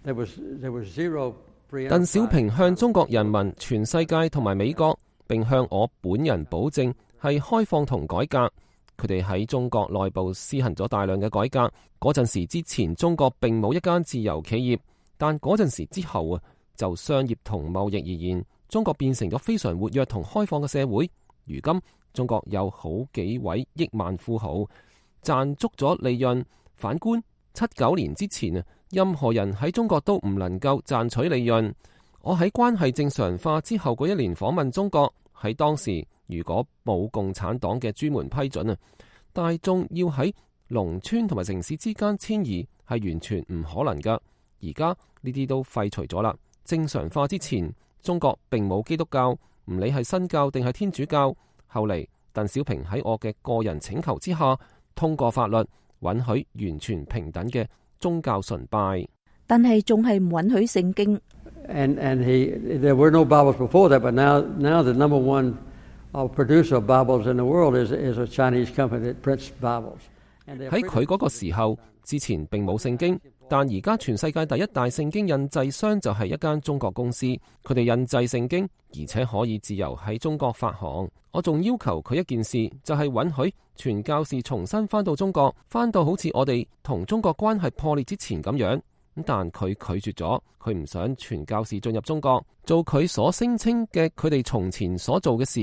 There was, there was zero preemptive. 鄧小平向中國人民、全世界同埋美國，並向我本人保證係開放同改革。佢哋喺中國內部施行咗大量嘅改革。嗰陣時之前，中國並冇一間自由企業，但嗰陣時之後啊，就商業同貿易而言，中國變成咗非常活躍同開放嘅社會。如今中國有好幾位億萬富豪賺足咗利潤。反觀七九年之前啊，任何人喺中國都唔能夠賺取利潤。我喺關係正常化之後嗰一年訪問中國，喺當時如果冇共產黨嘅專門批准啊，大眾要喺農村同埋城市之間遷移係完全唔可能噶。而家呢啲都廢除咗啦。正常化之前，中國並冇基督教，唔理係新教定係天主教。後嚟鄧小平喺我嘅個人請求之下，通過法律允許完全平等嘅宗教崇拜，但係仲係唔允許聖經。And and he, there were no Bibles before that, but now now the number one uh, producer of Bibles in the world is is a Chinese company that prints Bibles. 喺佢嗰個時候，之前並冇聖經，但而家全世界第一大聖經印製商就係一間中國公司，佢哋印製聖經，而且可以自由喺中國發行。我仲要求佢一件事，就係允許傳教士重新翻到中國，翻到好似我哋同中國關係破裂之前咁樣。但佢拒絕咗，佢唔想傳教士進入中國做佢所聲稱嘅佢哋從前所做嘅事，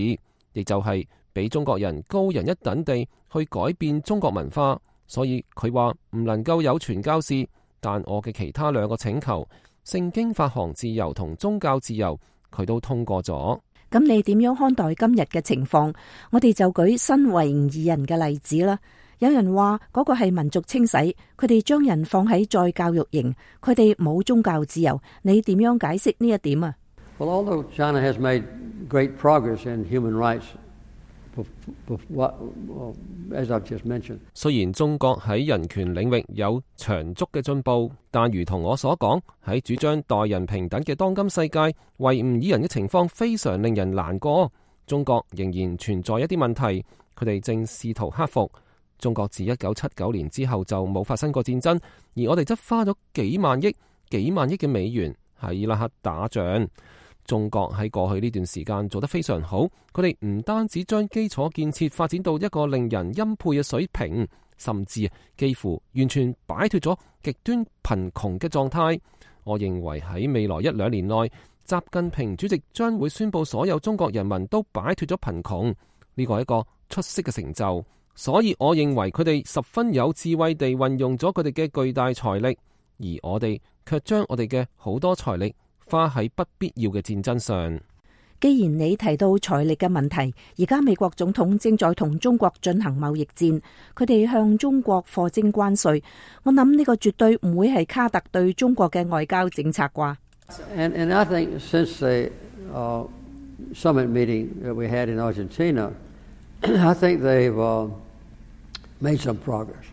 亦就係俾中國人高人一等地去改變中國文化。所以佢話唔能夠有傳教士，但我嘅其他兩個請求，聖經發行自由同宗教自由，佢都通過咗。咁你點樣看待今日嘅情況？我哋就舉新維吾爾人嘅例子啦。有人話嗰個係民族清洗，佢哋將人放喺再教育營，佢哋冇宗教自由。你點樣解釋呢一點啊？ Well, although China has made great progress in human rights, as I've just mentioned. 雖然中國喺人權領域有長足嘅進步，但如同我所講，喺主張待人平等嘅當今世界，維吾爾人嘅情況非常令人難過。中國仍然存在一啲問題，佢哋正試圖克服。中國自一九七九年之後就冇發生過戰爭，而我哋則花咗幾萬億、幾萬億嘅美元喺伊拉克打仗。中國喺過去呢段時間做得非常好，佢哋唔單止將基礎建設發展到一個令人欽佩嘅水平，甚至幾乎完全擺脫咗極端貧窮嘅狀態。我認為喺未來一兩年內，習近平主席將會宣布所有中國人民都擺脫咗貧窮，呢個係一個出色嘅成就。所以我認為佢哋十分有智慧地運用咗佢哋嘅巨大財力，而我哋卻將我哋嘅好多財力花喺不必要嘅戰爭上。既然你提到財力嘅問題，而家美國總統正在同中國進行貿易戰，佢哋向中國課徵關稅。我諗呢個絕對唔會係卡特對中國嘅外交政策啩。And, and I think since the uh, summit meeting that we had in Argentina, I think they've uh, made some progress.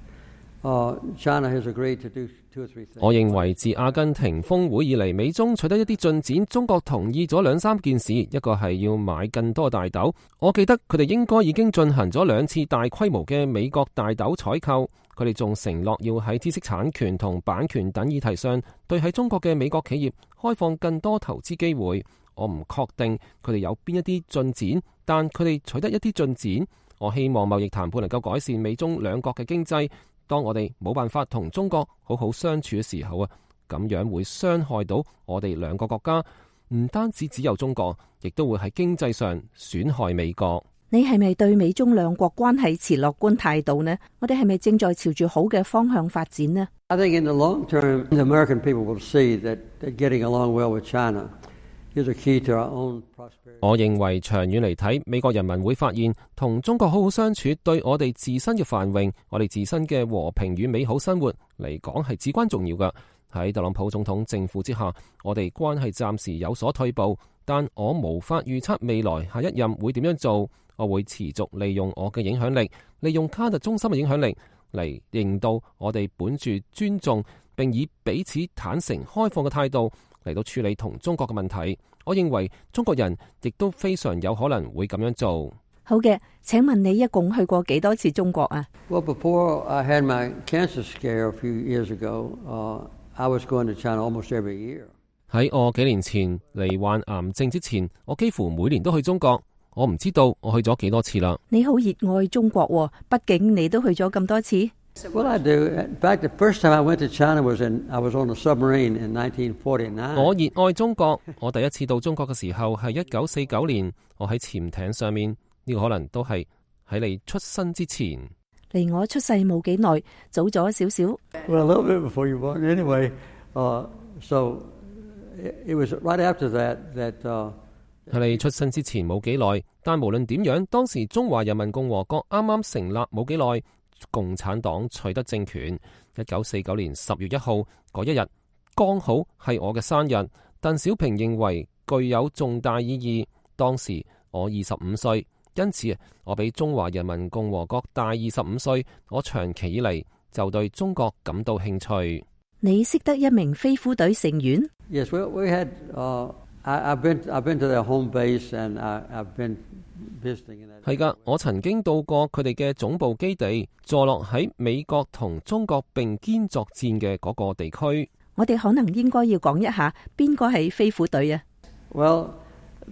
Uh, China has agreed to do two or three things. 我認為自阿根廷峰會以嚟，美中取得一啲進展。中國同意咗兩三件事，一個係要買更多大豆。我記得佢哋應該已經進行咗兩次大規模嘅美國大豆採購。佢哋仲承諾要喺知識產權同版權等議題上，對喺中國嘅美國企業開放更多投資機會。我唔確定佢哋有邊一啲進展，但佢哋取得一啲進展。我希望貿易談判能夠改善美中兩國嘅經濟。當我哋冇辦法同中國好好相處嘅時候啊，咁樣會傷害到我哋兩個國家。唔單止只有中國，亦都會喺經濟上損害美國。你係咪對美中兩國關係持樂觀態度呢？我哋係咪正在朝住好嘅方向發展呢？ I think in the long term, the American people will see that, that getting along well with China is a key to our own prosperity. 我認為長遠嚟睇，美國人民會發現同中國好好相處，對我哋自身嘅繁榮、我哋自身嘅和平與美好生活嚟講係至關重要㗎。喺特朗普總統政府之下，我哋關係暫時有所退步，但我無法預測未來下一任會點樣做。我會持續利用我嘅影響力，利用卡特中心嘅影響力嚟令到我哋本住尊重並以彼此坦誠開放嘅態度嚟到處理同中國嘅問題。我認為中國人亦都非常有可能會咁樣做。好嘅，請問你一共去過幾多次中國啊？ Well, before I had my cancer scare a few years ago, uh, I was going to China almost every year. 喺我幾年前罹患癌症之前，我幾乎每年都去中國。我唔知道我去咗幾多次啦。你好熱愛中國喎，畢竟你都去咗咁多次。Well, I do. In fact, the first time I went to China was in I was on a submarine in nineteen forty-nine. 我熱愛中國。我第一次到中國嘅時候係一九四九年，我喺潛艇上面。呢個可能都係喺你出生之前。離我出世冇幾耐，早咗少少。Well, a little bit before you born. Anyway, uh, so it was right after that that. Uh, 喺你出生之前冇幾耐，但無論點樣，當時中華人民共和國啱啱成立冇幾耐，共產黨取得政權。一九四九年十月一號嗰一日，剛好係我嘅生日。鄧小平認為具有重大意義。當時我二十五歲，因此我比中華人民共和國大二十五歲。我長期以嚟就對中國感到興趣。你識得一名飛虎隊成員？ Yes, we we had. Uh, I, I've been I've been to their home base and I, I've been visiting. 係噶，我曾經到過佢哋嘅總部基地，坐落喺美國同中國並肩作戰嘅嗰個地區。我哋可能應該要講一下邊個係飛虎隊啊？ Well,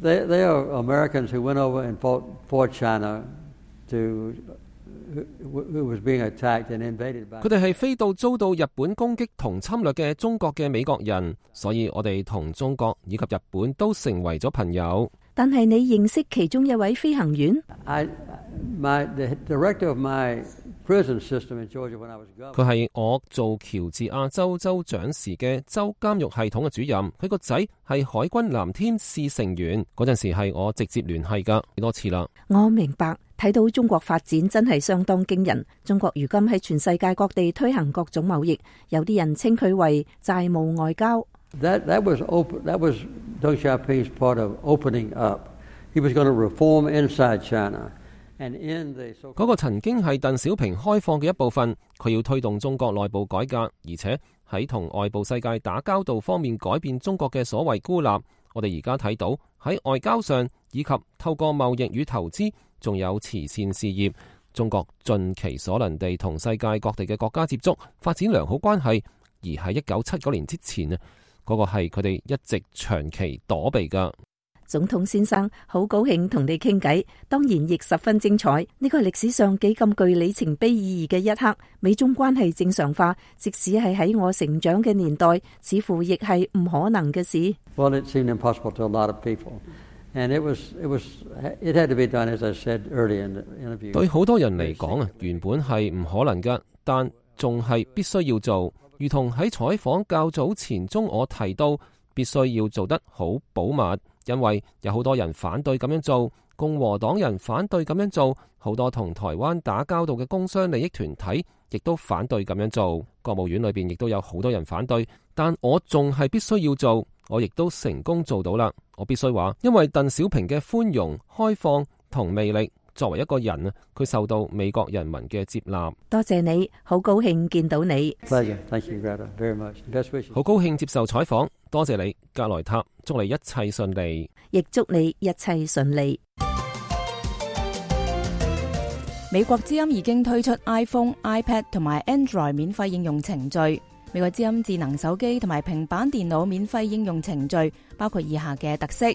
they they are Americans who went over and fought for China to 佢哋係飛到遭到日本攻擊同侵略嘅中國嘅美國人，所以我哋同中國以及日本都成為咗朋友。但係你認識其中一位飛行員？ I, my, the director of my prison system in Georgia when I was governor. 佢係我做喬治亞州州長時嘅州監獄系統嘅主任，佢個仔係海軍藍天使成員，嗰陣時係我直接聯繫㗎，幾多次啦。我明白，睇到中國發展真係相當驚人。中國如今喺全世界各地推行各種貿易，有啲人稱佢為債務外交。That, that was open, that was Deng Xiaoping's part of opening up. He was going to reform inside China. And in the so- 嗰個曾經係鄧小平開放嘅一部分，佢要推動中國內部改革，而且喺同外部世界打交道方面改變中國嘅所謂孤立。我哋而家睇到喺外交上以及透過貿易與投資，仲有慈善事業，中國盡其所能地同世界各地嘅國家接觸，發展良好關係。而喺一九七九年之前啊，嗰個係佢哋一直長期躲避噶。總統先生，好高興同你傾偈，當然亦十分精彩。呢個係歷史上幾咁具里程碑意義嘅一刻，美中關係正常化，即使係喺我成長嘅年代，似乎亦係唔可能嘅事。Well, it seemed impossible to a lot of people, and it was, it was, it had to be done, as I said earlier in the interview. 對好多人嚟講啊，原本係唔可能㗎，但仲係必須要做。如同喺採訪較早前中我提到，必須要做得好保密。因為有好多人反對咁樣做，共和黨人反對咁樣做，好多同台灣打交道嘅工商利益團體亦都反對咁樣做，國務院裏邊亦都有好多人反對，但我仲係必須要做，我亦都成功做到啦。我必須話，因為鄧小平嘅寬容、開放同魅力，作為一個人啊，佢受到美國人民嘅接納。多謝你，好高興見到你。Pleasure. Thank you, Greta, very much. Best wishes. 好高興接受採訪，多謝你，格萊塔，祝你一切順利，亦祝你一切順利。美國之音已經推出 iPhone、iPad 同埋 Android 免費應用程序。美國之音智能手機同埋平板電腦免費應用程序包括以下嘅特色：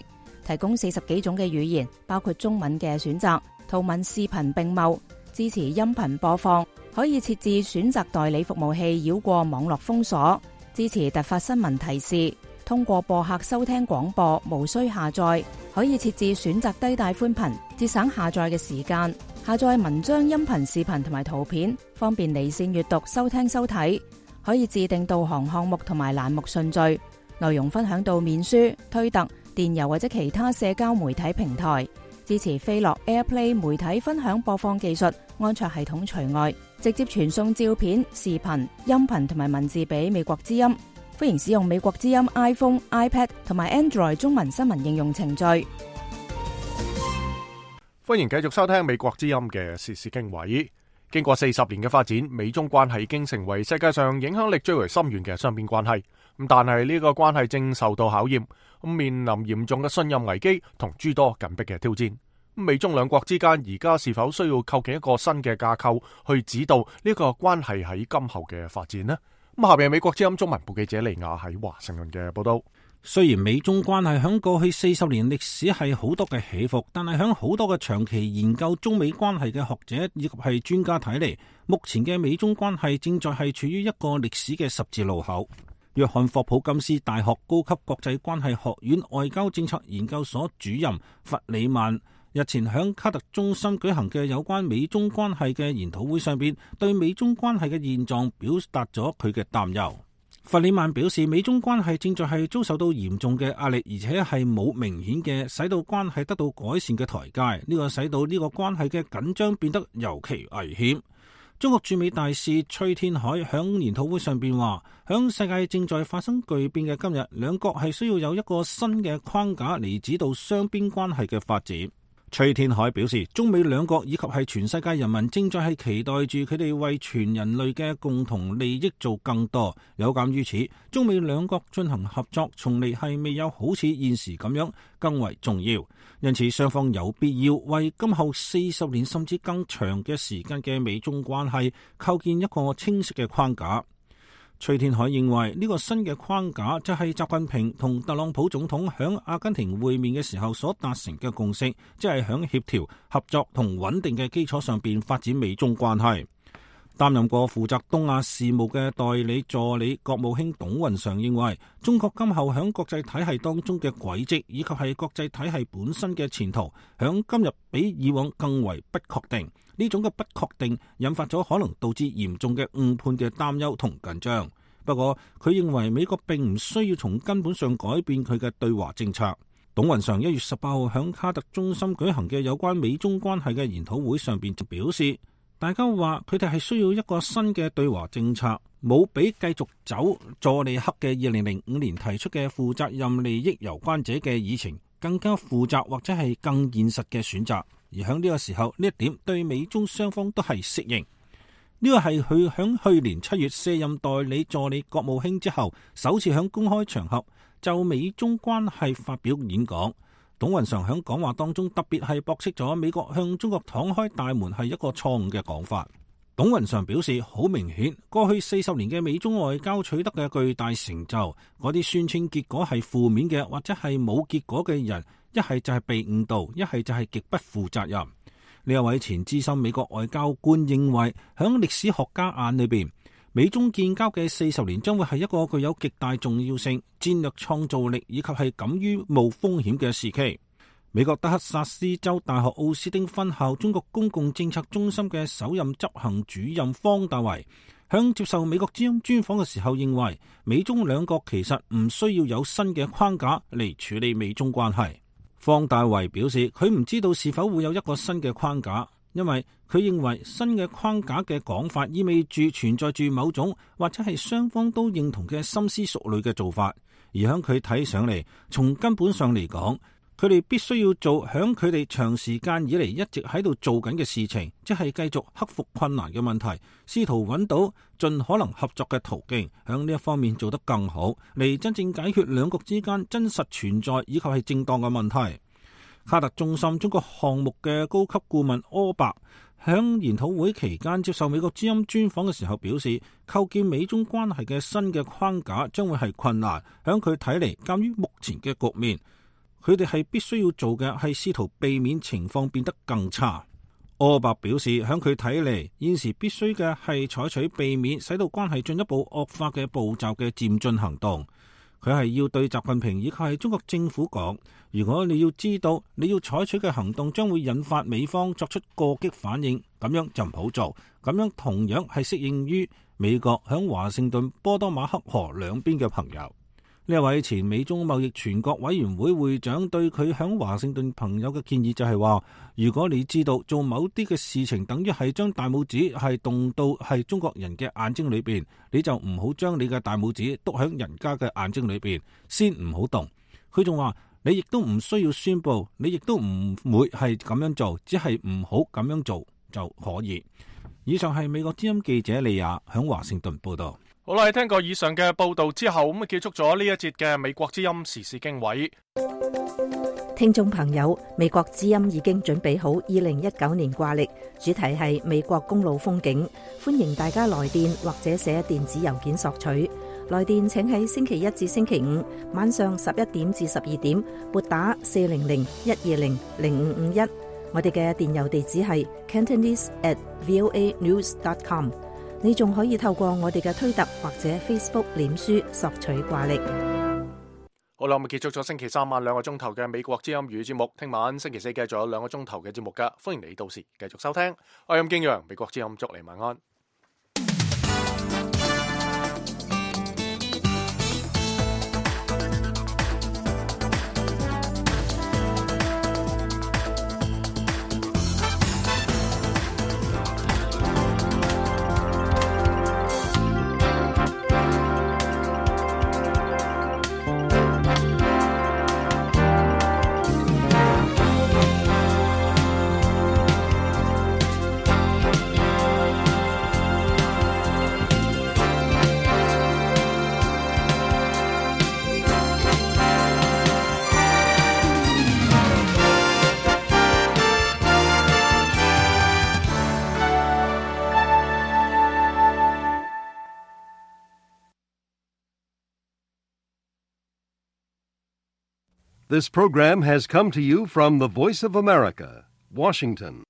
提供四十幾種嘅語言，包括中文嘅選擇。圖文視頻並茂，支持音頻播放，可以設置選擇代理服務器繞過網絡封鎖，支持突發新聞提示，通過播客收聽廣播，無需下載，可以設置選擇低帶寬頻，節省下載嘅時間，下載文章、音頻、視頻同埋圖片，方便離線閱讀、收聽收睇，可以自定導航項目同埋欄目順序，內容分享到面書、推特、電郵或者其他社交媒體平台。支持飛樂 AirPlay 媒體分享播放技術，安卓系統除外，直接傳送照片、視頻、音頻同埋文字俾美國之音。歡迎使用美國之音 iPhone、iPad 同埋 Android 中文新聞應用程序。歡迎繼續收聽美國之音嘅時事經緯。經過四十年嘅發展，美中關係已經成為世界上影響力最為深遠嘅雙邊關係。咁但係呢個關係正受到考驗，咁面臨嚴重嘅信任危機同諸多緊迫嘅挑戰。美中兩國之間而家是否需要構建一個新嘅架構去指導呢個關係喺今後嘅發展呢？咁下邊係美國之音中文部記者利亞喺華盛頓嘅報道。雖然美中關係響過去四十年歷史係好多嘅起伏，但係響好多嘅長期研究中美關係嘅學者以及係專家睇嚟，目前嘅美中關係正在係處於一個歷史嘅十字路口。約翰霍普金斯大學高級國際關係學院外交政策研究所主任弗里曼日前響卡特中心舉行嘅有關美中關係嘅研討會上邊，對美中關係嘅現狀表達咗佢嘅擔憂。弗里曼表示，美中關係正在係遭受到嚴重嘅壓力，而且係冇明顯嘅使到關係得到改善嘅台階。呢個使到呢個關係嘅緊張變得尤其危險。中國駐美大使崔天凱響研討會上邊話，響世界正在發生巨變嘅今日，兩國係需要有一個新嘅框架嚟指導雙邊關係嘅發展。崔天凱表示，中美兩國以及係全世界人民正在係期待住佢哋為全人類嘅共同利益做更多。有鑒於此，中美兩國進行合作從嚟係未有好似現時咁樣更為重要。因此，雙方有必要為今後四十年甚至更長嘅時間嘅美中關係構建一個清晰嘅框架。崔天凱認為呢個新嘅框架就係習近平同特朗普總統響阿根廷會面嘅時候所達成嘅共識，即係響協調、合作同穩定嘅基礎上邊發展美中關係。擔任過負責東亞事務嘅代理助理國務卿董雲常認為，中國今後響國際體系當中嘅軌跡以及係國際體系本身嘅前途，響今日比以往更為不確定。呢種嘅不確定引發咗可能導致嚴重嘅誤判嘅擔憂同緊張。不過佢認為美國並唔需要從根本上改變佢嘅對華政策。董雲常一月十八號響卡特中心舉行嘅有關美中關係嘅研討會上邊就表示，大家話佢哋係需要一個新嘅對華政策，冇比繼續走佐利克嘅二零零五年提出嘅負責任利益攸關者嘅議程更加負責或者係更現實嘅選擇。而喺呢個時候，呢一點對美中雙方都係適應。呢個係佢響去年七月卸任代理助理國務卿之後，首次響公開場合就美中關係發表演講。董雲常響講話當中特別係駁斥咗美國向中國敞開大門係一個錯誤嘅講法。董雲常表示，好明顯過去四十年嘅美中外交取得嘅巨大成就，嗰啲宣稱結果係負面嘅或者係冇結果嘅人，一係就係被誤導，一係就係極不負責任。呢一位前資深美國外交官認為，響歷史學家眼裏邊，美中建交嘅四十年將會係一個具有極大重要性、戰略創造力以及係敢於冒風險嘅時期。美國德克薩斯州大學奧斯汀分校中國公共政策中心嘅首任執行主任方大為響接受美國之音專訪嘅時候認為，美中兩國其實唔需要有新嘅框架嚟處理美中關係。方大為表示，佢唔知道是否會有一個新嘅框架，因為佢認為新嘅框架嘅講法意味住存在住某種或者係雙方都認同嘅深思熟慮嘅做法，而響佢睇上嚟，從根本上嚟講，佢哋必須要做響佢哋長時間以嚟一直喺度做緊嘅事情，即係繼續克服困難嘅問題，試圖揾到盡可能合作嘅途徑，響呢一方面做得更好，嚟真正解決兩國之間真實存在以及係正當嘅問題。卡特中心中國項目嘅高級顧問柯伯響研討會期間接受美國之音專訪嘅時候表示，構建美中關係嘅新嘅框架將會係困難。響佢睇嚟，鑒於目前嘅局面，佢哋係必須要做嘅係試圖避免情況變得更差。柯伯表示，響佢睇嚟，現時必須嘅係採取避免使到關係進一步惡化嘅步驟嘅漸進行動。佢係要對習近平以及係中國政府講，如果你要知道你要採取嘅行動將會引發美方作出過激反應，咁樣就唔好做。咁樣同樣係適應於美國響華盛頓波多馬克河兩邊嘅朋友。呢一位前美中貿易全國委員會會長對佢響華盛頓朋友嘅建議就係話，如果你知道做某啲嘅事情等於係將大拇指係動到係中國人嘅眼睛裏邊，你就唔好將你嘅大拇指篤響人家嘅眼睛裏邊，先唔好動。佢仲話，你亦都唔需要宣佈，你亦都唔會係咁樣做，只係唔好咁樣做就可以。以上係美國之音記者利亞響華盛頓報道。好啦，喺聽過以上嘅報道之後，咁啊結束咗呢一節嘅美國之音時事經緯。聽眾朋友，美國之音已經準備好二零一九年掛曆，主題係美國公路風景，歡迎大家來電或者寫電子郵件索取。來電請喺星期一至星期五晚上十一點至十二點撥打四零零一二零零五五一。我哋嘅電郵地址係 cantonese at voa news dot com。你仲可以透過我哋嘅推特或者 Facebook 臉書索取掛曆。好啦，我哋結束咗星期三晚兩個鐘頭嘅美國之音語節目，聽晚星期四繼續有兩個鐘頭嘅節目噶，歡迎你到時繼續收聽。我係任敬陽，美國之音祝你晚安。This program has come to you from the Voice of America, Washington.